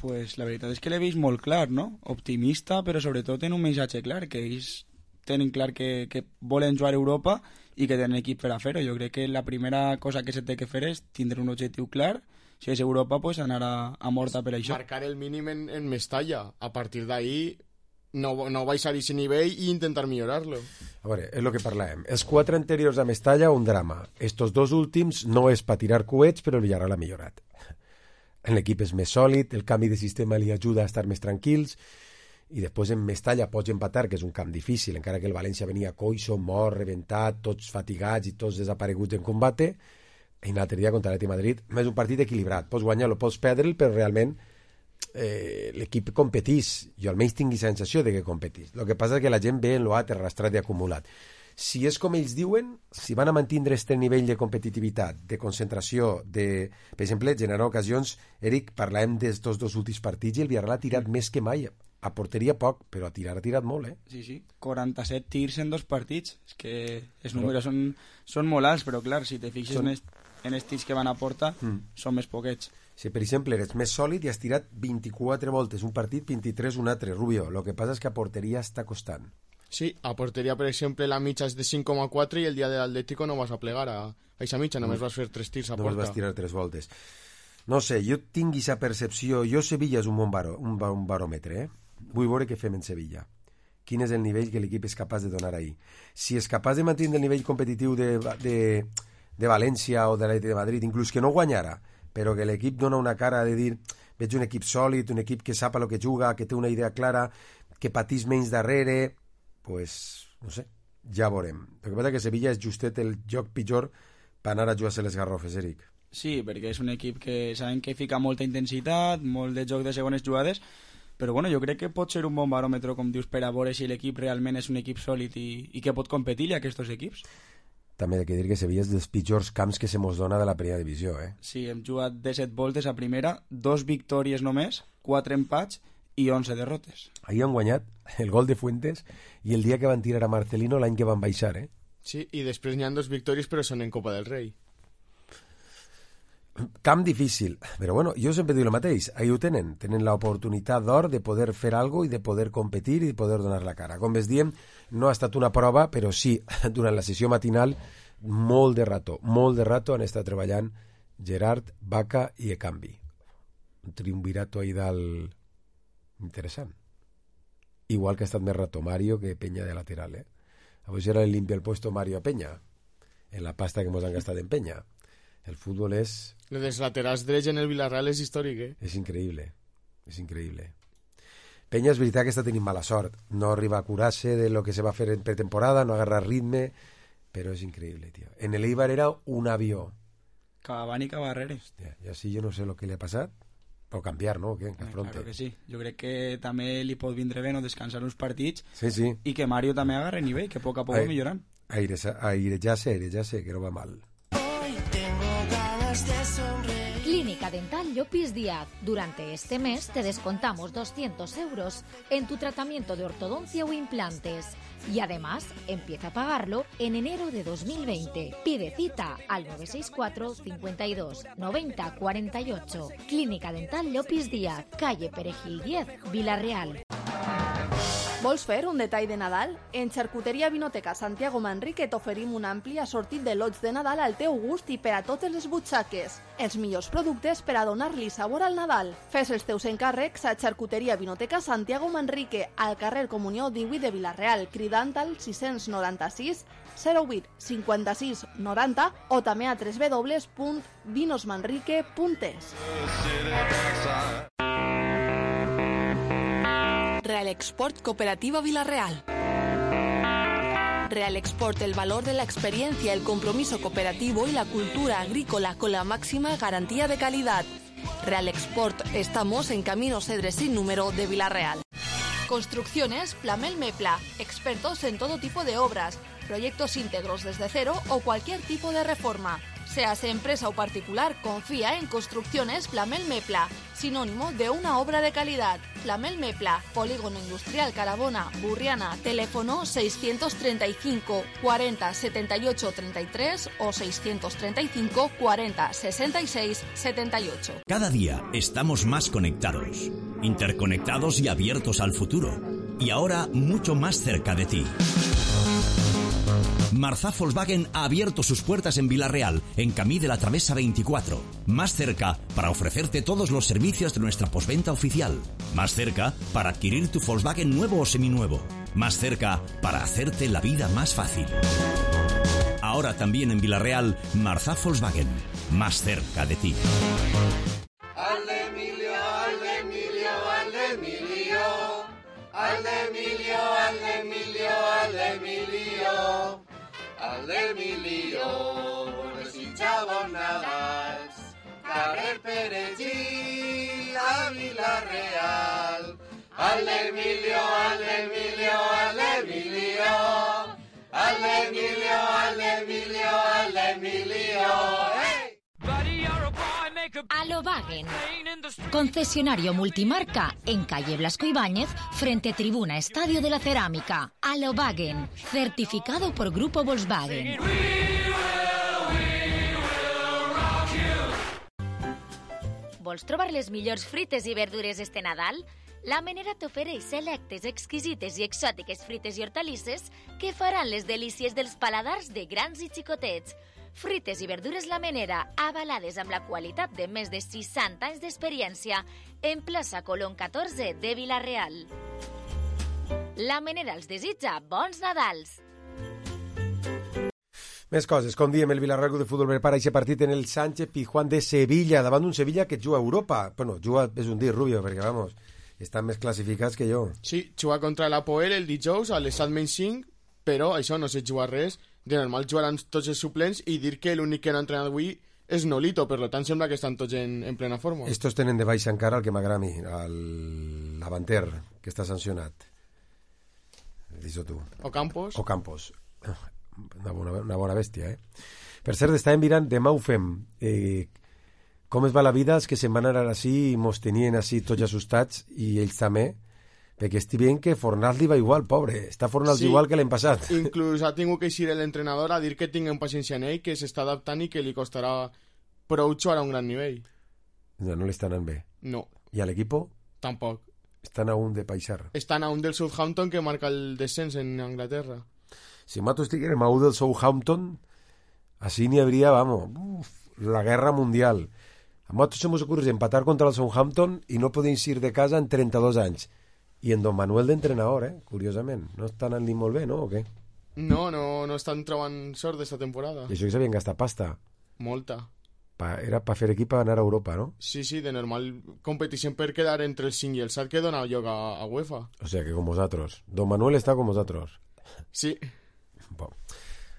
Pues la veritat és que l'he vist molt clar, no? Optimista, però sobretot en un missatge clar, que ells tenen clar que volen jugar a Europa i que tenen equip per a fer-ho. Jo crec que la primera cosa que se té que fer és tindre un objectiu clar. Si és Europa, pues anar a morta per això. Marcar el mínim en Mestalla. A partir d'ahí no baixar a aquest nivell i intentar millorar-lo. A veure, és el que parlàvem. Els 4 anteriors a Mestalla, un drama. Estos 2 últims no és per tirar coets, però el Villarreal ha millorat. L'equip és més sòlid, el canvi de sistema li ajuda a estar més tranquils, i després en Mestalla pots empatar, que és un camp difícil, encara que el València venia coixo, mort, reventat, tots fatigats i tots desapareguts en combate. I l'altre dia contra l'Atlètic Madrid és un partit equilibrat, pots guanyar-lo, pots perdre'l, però realment l'equip competís. Jo almenys tinc la sensació de que competís. El que passa és que la gent ve en l'altre arrastrat i acumulat. Si és com ells diuen, si van a mantindre aquest nivell de competitivitat, de concentració, de, per exemple, generar ocasions, Eric, parlàvem d'estos 2 últims partits i el Villarreal ha tirat més que mai. A porteria poc, però a tirar ha tirat molt, Sí, 47 tirs en 2 partits. És que els números són molt alts, però clar, si te fixes en els tirs que van a porta, són més poquets. Si, per exemple, eres més sòlid i has tirat 24 voltes un partit, 23 un altre, Rubio. El que passa és que a porteria està costant. Sí, a porteria, per exemple, la mitja és de 5,4 i el dia de l'Atlético no vas a plegar a aquesta mitja, només vas fer 3 tirs a porta. Només vas tirar 3 voltes. No sé, jo tinc aquesta percepció. Sevilla és un bon baròmetre, Vull veure què fem en Sevilla. Quin és el nivell que l'equip és capaç de donar ahir. Si és capaç de mantenir el nivell competitiu de València o de l'Atlètic de Madrid, inclús que no guanyara, però que l'equip dona una cara de dir veig un equip sòlid, un equip que sap el que juga, que té una idea clara, que patís menys darrere, pues, no sé, ja veurem. El que passa és que Sevilla és justet el joc pitjor per anar a jugar-se les garrofes, Eric. Sí, perquè és un equip que saben que fica molta intensitat, molt de joc de segones jugades, però bueno, jo crec que pot ser un bon baròmetre, com dius, per a veure si l'equip realment és un equip sòlid i que pot competir a aquests equips. També he de dir que Sevilla és dels pitjors camps que se mos dona de la primera divisió, Sí, hem jugat 17 voltes a primera, 2 victòries només, 4 empats i 11 derrotes. Ahir han guanyat el gol de Fuentes i el dia que van tirar a Marcelino l'any que van baixar, Sí, i després n'hi ha 2 victòries, però són en Copa del Rei. Camp difícil, però bueno, jo sempre dic el mateix, ahí ho tenen l'oportunitat d'or de poder fer alguna i de poder competir i de poder donar la cara. Com ves diem, no ha estat una prova, però sí, durant la sessió matinal, molt de rato han estat treballant Gerard, Baca i Ekambi. Un triumvirato ahí dalt interessant. Igual que ha estat més rato Mario que Peña de lateral, Avui serà el limpia el puesto Mario a Peña, en la pasta que hemos han gastat en Peña. El fútbol és... Lo dels laterals drets en el Villarreal és històric, És increïble. Peña és veritat que està tenint mala sort. No arriba a curar-se de lo que se va fer en pretemporada, no agarra ritme, però és increïble, tio. En el Eibar era un avió. Cavani i Cabarrere. Hòstia, i així jo no sé el que li ha passat, O canviar, no? O què? Que Claro que sí. Jo crec que també li pot vindre bé no descansar uns partits sí. I que Mario també agarre nivell, que a poc va millorant. Airejarse, que no va mal. Clínica Dental Llopis Díaz. Durante este mes te descontamos 200 euros en tu tratamiento de ortodoncia o implantes. Y además, empieza a pagarlo en enero de 2020. Pide cita al 964 52 90 48. Clínica Dental Llopis Díaz, calle Perejil 10, Vila-real. Vols fer un detall de Nadal? En Xarcuteria Vinoteca Santiago Manrique t'oferim un ampli assortit de lots de Nadal al teu gust i per a totes les butxaques. Els millors productes per a donar-li sabor al Nadal. Fes els teus encàrrecs a Xarcuteria Vinoteca Santiago Manrique, al carrer Comunió 18 de Vila-real, cridant al 696 08 56 90 o també a www.vinosmanrique.es. Real Export Cooperativa Vila-real. Real Export, el valor de la experiencia, el compromiso cooperativo y la cultura agrícola con la máxima garantía de calidad. Real Export, estamos en Camino Cedres sin número de Vila-real. Construcciones Plamel Mepla, expertos en todo tipo de obras, proyectos íntegros desde cero o cualquier tipo de reforma. Seas empresa o particular, confía en Construcciones Plamel Mepla, sinónimo de una obra de calidad. Plamel Mepla, Polígono Industrial Carabona, Burriana, teléfono 635 40 78 33 o 635 40 66 78. Cada día estamos más conectados, interconectados y abiertos al futuro. Y ahora mucho más cerca de ti. Marzá Volkswagen ha abierto sus puertas en Vila-real, en Camí de la Travesa 24. Más cerca para ofrecerte todos los servicios de nuestra postventa oficial. Más cerca para adquirir tu Volkswagen nuevo o seminuevo. Más cerca para hacerte la vida más fácil. Ahora también en Vila-real, Marzá Volkswagen. Más cerca de ti. Al d'Emilio, desitjava Nadals, carrer Perejil, a Vila-real. Al d'Emilio, al d'Emilio, al d'Emilio, al d'Emilio, al d'Emilio, al d'Emilio, hey! Alobagen, concesionario multimarca en calle Blasco Ibáñez, frente Tribuna Estadio de la Cerámica. Alobagen, certificado por Grupo Volkswagen. Vols trobar les millors frites i verdures este Nadal? La Menera t'ofereix selectes, exquisites i exòtiques frites i hortalisses que faran les delícies dels paladars de grans i xicotets. Frites i verdures La Menera, avalades amb la qualitat de més de 60 anys d'experiència, en plaça Colón 14 de Vila-real. La Menera els desitja bons Nadals. Més coses, com diem, el Villarreal Club de Futbol prepara aquest partit en el Sánchez Pizjuán de Sevilla, davant d'un Sevilla que juga a Europa. Bueno, juga, és un dir, Rubio, perquè, vamos, estan més classificats que jo. Sí, juga contra l'Apoel el dijous a les 7:05, però això no sé jugar res. De normal jugaran tots els suplents i dir que l'únic que no ha entrenat avui és Nolito, per tant sembla que estan tots en plena forma. Estos tenen de baixa encara el que m'agrada a mi, el Lavanter, que està sancionat. Dis-ho tu. O Campos. Una bona bèstia, eh? Per cert, estàvem mirant, demà ho fem. Com es va la vida, els que se'n van anar així i mos tenien així tots assustats, i ells també, perquè estic veient que Fornals li va igual, pobre. Està Fornals igual que l'any passat. Inclús ha tingut que eixir l'entrenador a dir que tinguem paciència en ell, que s'està adaptant i que li costarà prou jugar a un gran nivell. No li està anant bé. No. I a l'equip? Tampoc. Estan a un de paixar. Estan a un del Southampton que marca el descens en Anglaterra. Si nosaltres estiguem a un del Southampton, així n'hi hauria, vamos, la guerra mundial. A nosaltres se mos ocurre empatar contra el Southampton i no podem ir de casa en 32 anys. I en Don Manuel d'entrenador, curiosament. No està anant-li molt bé, no? O què? No estan trobant sort d'esta temporada. I això que s'havien gastat pasta. Molta. Era per fer equip a anar a Europa, no? Sí, de normal competició per quedar entre el 5 i el 7 que dona lloc a UEFA. O sea que com vosaltres. Don Manuel està com vosaltres. Sí. Bon.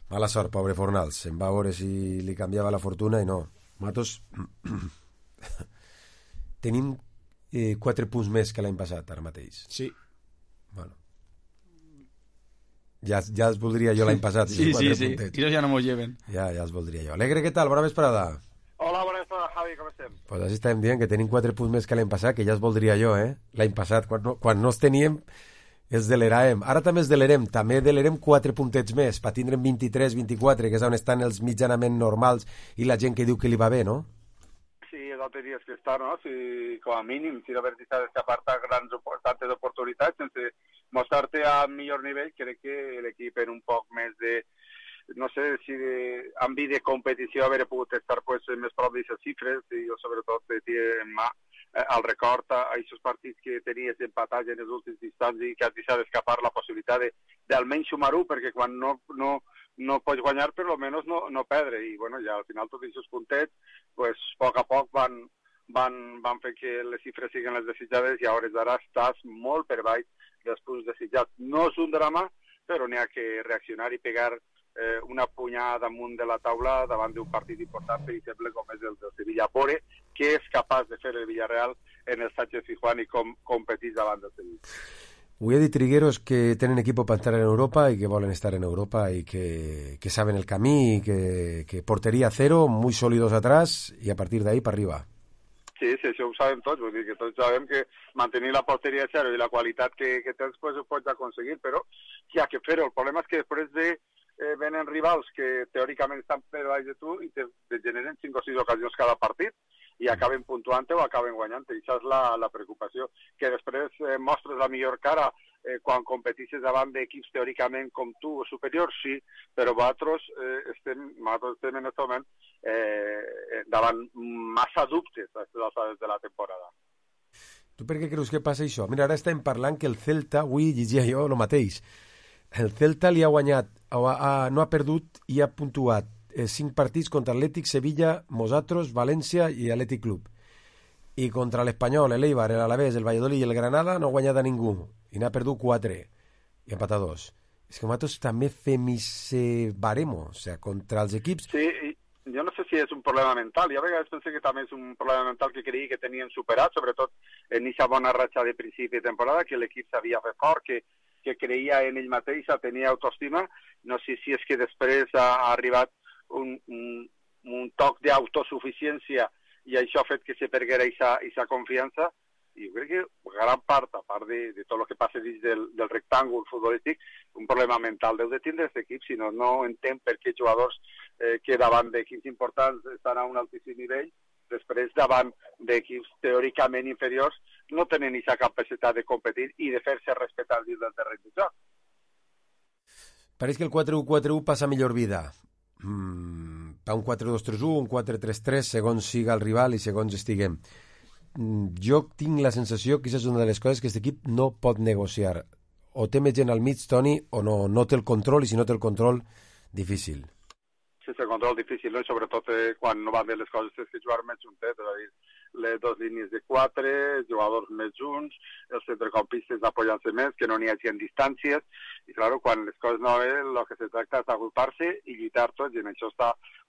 Mala sort, pobre Fornals. Se'n va veure si li canviava la fortuna i no. Matos... tenim 4 punts més que l'any passat, ara mateix. Sí. Bueno. Ja els voldria jo l'any passat. Sí. Ellos ja no m'ho lleven. Ja els voldria jo. Alegre, què tal? Bona vesprada. Hola, bona vesprada, Javi, com estem? Pues així estàvem dient que tenim 4 punts més que l'any passat, que ja els voldria jo, l'any passat, quan no els teníem, els deleràvem. Ara també els delerem, també delerem 4 puntets més, per tindre'm 23, 24, que és on estan els mitjanament normals i la gent que diu que li va bé, no? Sí, és el que tenies que estar, no? Si, com a mínim, si la veritat és que aparta tantes oportunitats, sense mostrar-te a millor nivell, crec que l'equip en un poc més de, no sé, si amb vida de competició haver pogut estar pues, més prop d'aquestes xifres, i jo sobretot tinc en mà el record a aquests partits que tenies empatats en els últims instants i que has deixat d'escapar la possibilitat d'almenys sumar-ho, perquè quan no pots guanyar, però almenys no perdre. I bueno, ja al final tots aquests puntets, pues, a poc van fer que les xifres siguin les desitjades i a hores d'ara estàs molt per baix dels punts desitjats. No és un drama, però n'hi ha que reaccionar i pegar una punyada damunt de la taula davant d'un partit important, per exemple, com és el del Sevilla. Veure què és capaç de fer el Villarreal en el Sánchez Pizjuán i com competís davant del Sevilla. Ho he dit, Trigueros, que tenen equipo para estar en Europa y que volen estar en Europa y que saben el camí y que portería cero, muy sólidos atrás y a partir de ahí para arriba. Sí, això ho sabem tots, vull dir que tots sabem que mantenir la porteria a zero i la qualitat que tens pues, ho pots aconseguir, però hi ha que fer-ho. El problema és que després venen rivals que teòricament estan per baix de tu i te generen 5 o 6 ocasions cada partit i acaben puntuant o acaben guanyant. I això és la preocupació, que després mostres la millor cara quan competisses davant d'equips teòricament com tu o superiors, sí, però nosaltres estem en aquest moment davant massa dubtes a les alçades de la temporada. Tu per què creus que passa això? Mira, ara estem parlant que el Celta, avui llegia jo el mateix, el Celta li ha guanyat, no ha perdut i ha puntuat 5 partits contra Atlètic, Sevilla, Mosatros, València i Atlètic Club. I contra l'Espanyol, l'Eibar, l'Alavés, el Valladolid i el Granada no ha guanyat a ningú. I n'ha perdut 4 i ha empatat 2. És que nosaltres també fem ese baremo, o sigui, contra els equips... Sí, jo no sé si és un problema mental. Jo a vegades pensé que també és un problema mental que creia que tenien superat, sobretot en aquesta bona ratxa de principi de temporada, que l'equip s'havia fet fort, que creia en ell mateix, tenia autoestima. No sé si és que després ha arribat un toc d'autosuficiència i això ha fet que se perguera aquesta confiança. I jo crec que gran part, a part de tot el que passa dins del rectàngol futbolístic, un problema mental deu de tindre aquest equip, si no entenc per què jugadors que davant d'equips importants estan a un altíssim nivell, després davant d'equips teòricament inferiors no tenen aquesta capacitat de competir i de fer-se respectar dins del terreny de joc. Pareix que el 4-1-4-1 passa millor vida. Pa un 4-2-3-1, un 4-3-3, segons siga el rival i segons estiguem. Jo tinc la sensació que aquesta és una de les coses que aquest equip no pot negociar. O té més gent al mig, Toni, o no té el control, i si no té el control, difícil. Sense control difícil, no? I sobretot quan no van bé les coses és que jugar més juntet, és a dir, les 2 línies de 4, els jugadors més junts, els centrecampistes apoyant-se més, que no n'hi hagi en distàncies, i clar, quan les coses no van bé, el que se tracta és d'agrupar-se i lluitar tots, i en això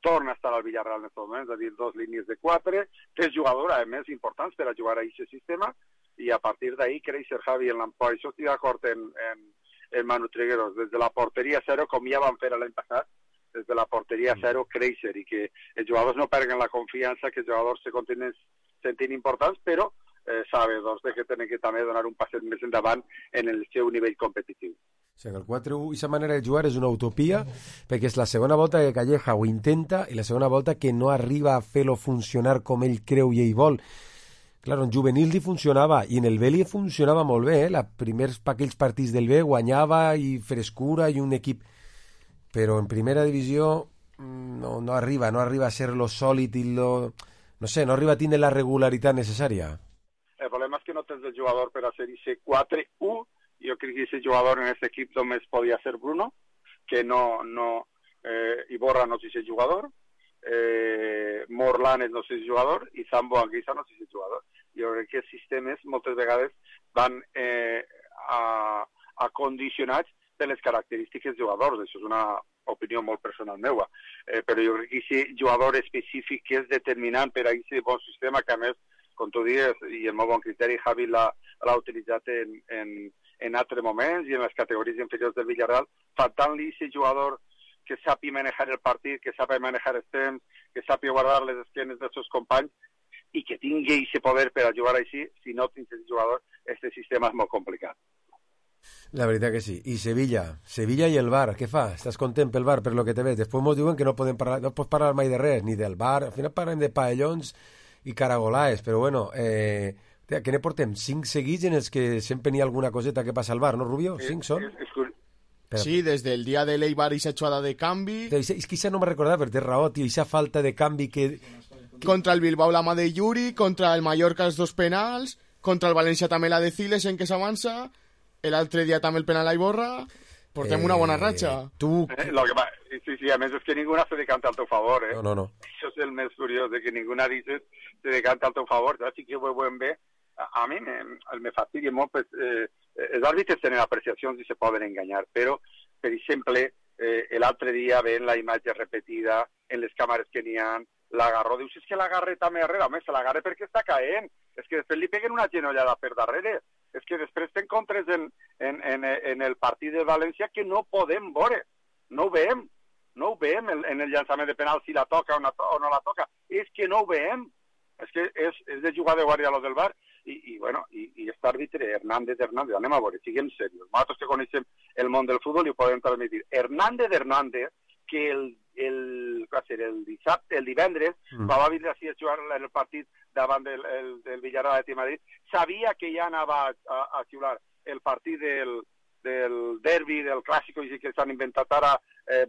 torna a estar al Villarreal en aquest moment, és a dir, 2 línies de 4, 3 jugadors, a més, importants per a jugar a aquest sistema, i a partir d'ahí créixer Javi en l'emploi. Això estic d'acord en Manu Trigueros, des de la porteria zero, com ja van fer l'any passat, des de la porteria zero créixer i que els jugadors no perguen la confiança, que els jugadors se continuen sentint importants, però sabedors que tenen que també donar un passet més endavant en el seu nivell competitiu. O sigui, el 4-1, aquesta manera de jugar és una utopia, perquè és la segona volta que Calleja ho intenta i la segona volta que no arriba a fer-lo funcionar com ell creu i ell vol. Clar, en juvenil li funcionava, i en el B li funcionava molt bé, aquells partits del B guanyava i frescura i un equip... Però en primera divisió no arriba a ser lo sòlid i lo... No sé, no arriba a tindre la regularitat necessària. El problema és que no tens el jugador per a ser ese 4-1. Jo crec que ese jugador en aquest equip només podia ser Bruno, que Iborra no és ese jugador, Morlanes no és ese jugador i Zambo Anguissa no és ese jugador. Jo crec que els sistemes moltes vegades van acondicionats de les característiques dels jugadors. Això és una opinió molt personal meva. Però jo crec que aquest jugador específic que és determinant per a aquest bon sistema, que a més com tu dius, i el meu bon criteri, Javi l'ha utilitzat en altres moments i en les categories inferiors del Villarreal, faltant-li aquest jugador que sàpiga manejar el partit, que sàpiga manejar els temps, que sàpiga guardar les esquenes dels seus companys i que tingui aquest poder per a jugar així. Si no tens aquest jugador, este sistema és molt complicat. La veritat que sí. I Sevilla i el VAR, què fa? Estàs content pel VAR, per lo que te ves? Després ens diuen que no pots parlar mai de res, ni del VAR. Al final parlem de paellons i caragolaes, però bueno, que ne portem 5 seguits en els que sempre n'hi ha alguna coseta que passa al VAR, no, Rubio? 5 són? Sí, desde el día de l'Eibar y esa jugada de canvi. És que això no me recordava, però té raó, tio, esa falta de canvi que... Contra el Bilbao la mà de Yuri, contra el Mallorca els 2 penals, contra el València també la de Ciles en què s'avança, l'altre dia també el penal a Iborra, portem una bona ratxa. Sí, a més és que ningú se decanta al teu favor, No. Això és el més curiós, de que ningú dice se decanta al teu favor, així que ho veiem bé. A mi me fastidia molt, pues, els àrbitres tenen apreciacions i se poden enganyar, però, per exemple, l'altre dia veient la imatge repetida en les càmeres que n'hi ha, l'agarró, dius, és que l'agarre també darrere, home, se l'agarre perquè està caent, és que després li peguen una genollada per darrere, és que després t'encontres en el partit de València que no podem veure, no ho veiem en el llançament de penal si la toca o no la toca, és que no ho veiem, és que és de jugar de guàrdia lo del VAR, i aquest àrbitre, Hernández, anem a veure, siguem serios, nosaltres que coneixem el món del futbol i ho podem transmitir. Hernández, que el divendres, quan va vindre així a jugar el partit davant del Villarreal de Madrid, sabia que ja anava a xiular el partit del derbi, del clàssico, i que s'han inventat ara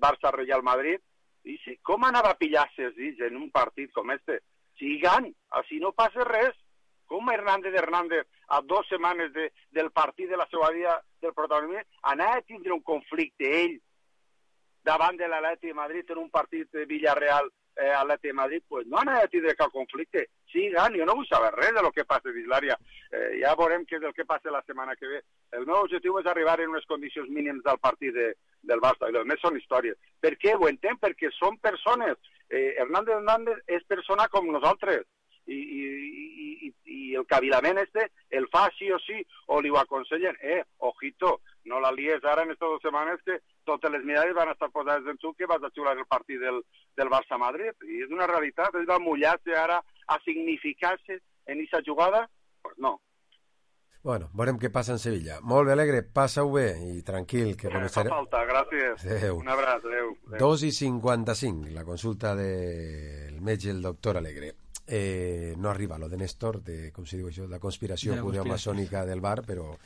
Barça-Real Madrid, i com anava a pillar-se en un partit com este? Sigan, així no passa res. Com Hernández, a 2 setmanes del partit de la seva vida del protagonisme, anava a tindre un conflicte ell davant de l'Atlètic de Madrid en un partit de Villarreal-Atlètic de Madrid, pues no anava a tindre cap conflicte. Sigan, jo no vull saber res de lo que passa a Islària. Ja veurem què és el que passa la setmana que ve. El meu objectiu és arribar en unes condicions mínimes del partit del Barça, i els més són històries. Per què? Ho entenc, perquè són persones. Hernández és persona com nosaltres. I el cavilament el fa sí o sí, o li ho aconsellen. Ojito, no la lies ara en estas 2 setmanes que totes les mirades van estar posades en tu que vas a xiular el partit del Barça-Madrid. I és una realitat, és de mullar-se ara a significar-se en aquesta jugada? Pues no. Bueno, veurem què passa en Sevilla. Molt bé, Alegre, passa-ho bé i tranquil, que començarem. No fa falta, gràcies. Adéu. Un abraç, adéu. 2:55, la consulta del metge, el doctor Alegre. No arriba lo de Néstor, com si diu això, la conspiració maçònica del VAR, però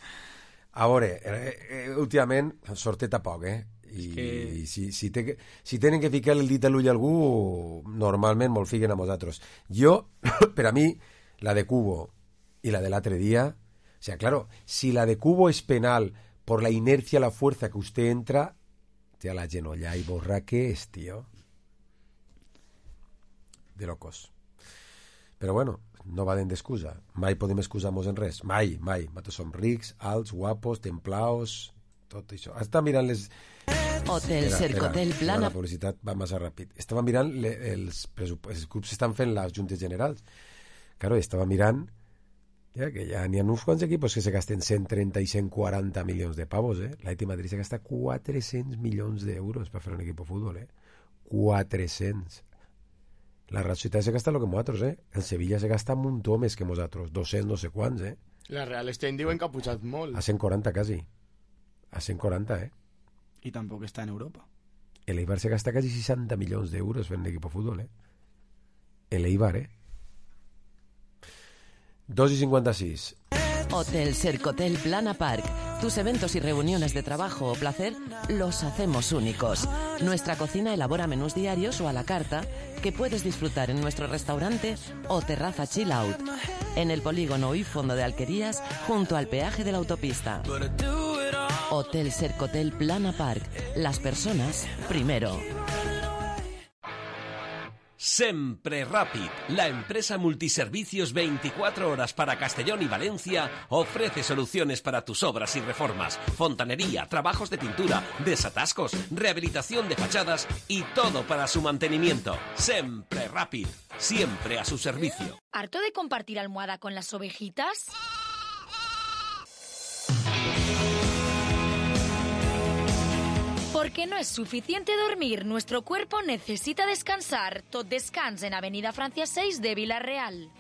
a veure, últimament sortet a poc, i si tenen que ficar el dit a l'ull a algú, normalment me'l fiquen a nosaltres. Jo, per a mi, la de Cubo i la de l'altre dia, o sea, claro, si la de Cubo es penal por la inercia, la fuerza que usted entra, te la genolla y borra que es, tío. De locos. Però bueno, no va d'excusa. Mai podem excusar-nos en res. Mai. Nosaltres som rics, alts, guapos, templaos, tot això. Està mirant les... Hotel Cercotel Plana... La publicitat va massa ràpid. Estava mirant els clubs estan fent les juntes generals. Claro, estava mirant que ja n'hi ha uns quants equipos que se gasten 130 i 140 milions de pavos, L'Atlètic de Madrid se gasta 400 milions d'euros per fer un equip de futbol, 400. La Real Societat se gasta el que nosaltres, El Sevilla se gasta un muntó més que nosaltres, 200 no sé quants, La Real Estem diuen que ha pujat molt. A 140 quasi. A 140, I tampoc està en Europa. El Eibar se gasta quasi 60 milions d'euros fent l'equip de futbol, El Eibar, 2:56. Hotel Cercotel Plana Park. Tus eventos y reuniones de trabajo o placer los hacemos únicos. Nuestra cocina elabora menús diarios o a la carta que puedes disfrutar en nuestro restaurante o terraza chill out. En el polígono y fondo de Alquerías, junto al peaje de la autopista. Hotel Cercotel Plana Park. Las personas primero. Sempre Rápid, la empresa multiservicios 24 horas para Castellón y Valencia, ofrece soluciones para tus obras y reformas, fontanería, trabajos de pintura, desatascos, rehabilitación de fachadas y todo para su mantenimiento. Sempre Prerapid, siempre a su servicio. ¿Harto de compartir almohada con las ovejitas? Porque no es suficiente dormir, nuestro cuerpo necesita descansar. Tot Descans en Avenida Francia 6 de Vila-real.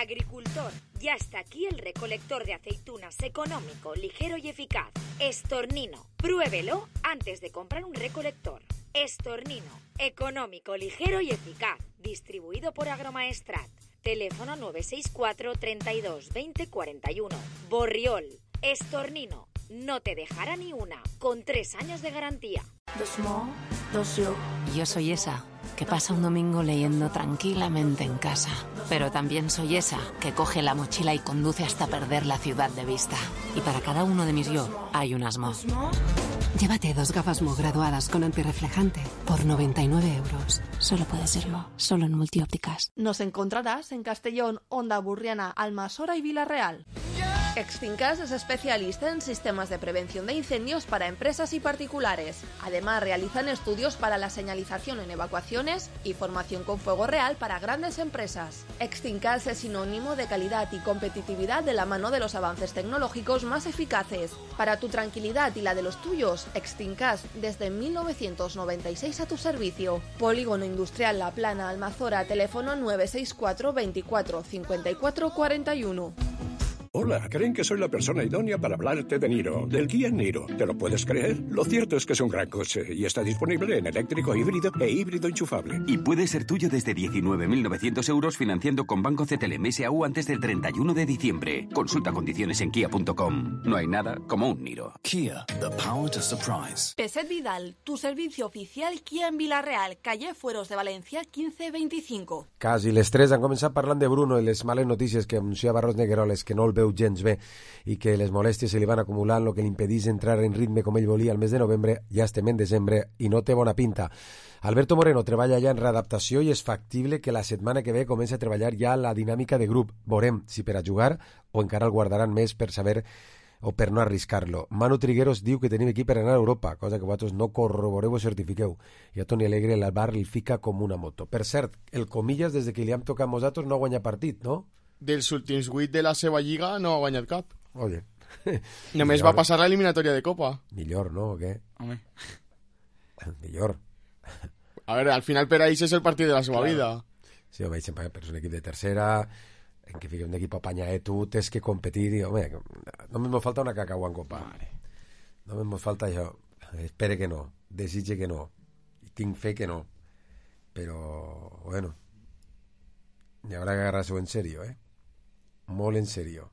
Agricultor, ya está aquí el recolector de aceitunas económico, ligero y eficaz. Estornino, pruébelo antes de comprar un recolector. Estornino, económico, ligero y eficaz. Distribuido por Agromaestrat. Teléfono 964 32 20 41. Borriol, Estornino, no te dejará ni una, con 3 años de garantía. Yo soy esa que pasa un domingo leyendo tranquilamente en casa. Pero también soy esa que coge la mochila y conduce hasta perder la ciudad de vista. Y para cada uno de mis yo hay un Asmo. Llévate 2 gafas Mo graduadas con antirreflejante por 99 euros. Solo puede ser Mo, solo en Multiópticas. Nos encontrarás en Castellón, Onda Burriana, Almasora y Vila-real. Extincas es especialista en sistemas de prevención de incendios para empresas y particulares. Además, realizan estudios para la señalización en evacuaciones y formación con fuego real para grandes empresas. Extincas es sinónimo de calidad y competitividad de la mano de los avances tecnológicos más eficaces. Para tu tranquilidad y la de los tuyos, Extincas desde 1996 a tu servicio. Polígono Industrial La Plana, Almazora, teléfono 964 24 54 41. Hola, creen que soy la persona idónea para hablarte de Niro, del Kia Niro. ¿Te lo puedes creer? Lo cierto es que es un gran coche y está disponible en eléctrico híbrido e híbrido enchufable. Y puede ser tuyo desde 19.900 euros financiando con Banco CTLM SAU antes del 31 de diciembre. Consulta condiciones en kia.com. No hay nada como un Niro. Kia, the power to surprise. Peset Vidal, tu servicio oficial Kia en Vila-real, calle Fueros de Valencia 1525. Quasi les 3 han començat parlant de Bruno i les males notícies que anunciava Ros Negueroles, que no el veu gens bé i que les molèsties se li van acumulant, el que li impedís entrar en ritme com ell volia al mes de novembre. Ja estem en desembre i no té bona pinta. Alberto Moreno treballa ja en readaptació i és factible que la setmana que ve comenci a treballar ja la dinàmica de grup. Veurem si per a jugar o encara el guardaran més per saber o per no arriscar-lo. Manu Trigueros diu que tenim equip per anar a Europa, cosa que vosaltres no corroboreu o certifiqueu. I a Toni Alegre l'Albar li fica com una moto. Per cert, el Comillas, des que li hem tocat nosaltres, no ha guanyat partit, no? Dels últims 8 de la seva lliga no ha guanyat cap. Oye. Només va passar l'eliminatòria de Copa. Millor, no? O què? Home. Millor. A veure, al final per a ells és el partit de la seva vida. Sí, home, sempre és un equip de tercera, en què fica un equip apanyadet, tu tens que competir, i, home, només me falta una cacau en Copa. Només me falta això. Espere que no, desitge que no, i tinc fe que no. Però, bueno, hi haurà que agarrar-s'ho en sèrio, molt en sèrio,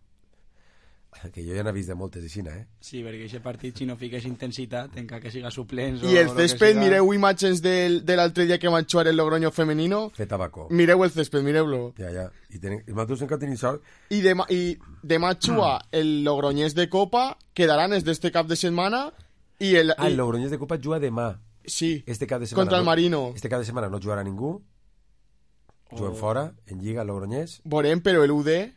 que jo ja n'he vist de moltes aixina, Sí, perquè aquest partit, si no fiques intensitat, encara que siga suplents... I el césped, mireu imatges de l'altre dia que van jugar el Logroño femenino. Fet tabaco. Mireu el césped, mireu-lo. Ja. I nosaltres encara tenim sort. I demà juga el Logroñés de Copa, quedaran d'este cap de setmana, i el Logroñés de Copa juga demà. Sí, este cap de setmana, contra el Marino. Este cap de setmana no jugarà ningú. Juguen fora, en Lliga, el Logroñés. Veurem, però el UD...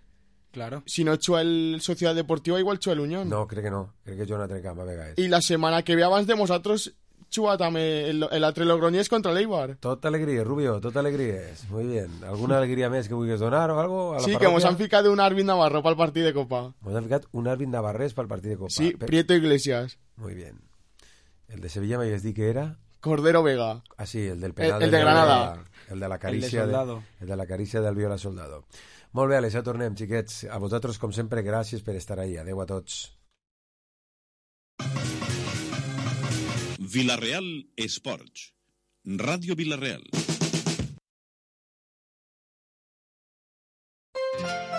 Claro. Si no juga el Sociedad Deportiva, igual juga el Unión. No, crec que no. Crec que juga un altre camp a vegades. I la setmana que ve abans de nosaltres juga també l'altre Logroñés contra l'Eibar. Tota alegria, Rubio, tota alegria. Muy bien. ¿Alguna alegria més que vulguis donar o algo? A la sí, parròquia? que mos han ficat un Arvin Navarro pel partit de Copa. Mos han ficat un Arvin Navarrés pel partit de Copa. Sí, Prieto Iglesias. Muy bien. El de Sevilla m'havies dit que era... Cordero Vega. Ah, sí, el del penal. El de Granada. El de la carícia el de la carícia del Viola Soldado. Molt bé, Àlex, ja tornem, xiquets. A vosaltres, com sempre, gràcies per estar ahí. Adeu a tots. Vila-real Esports. Ràdio Vila-real.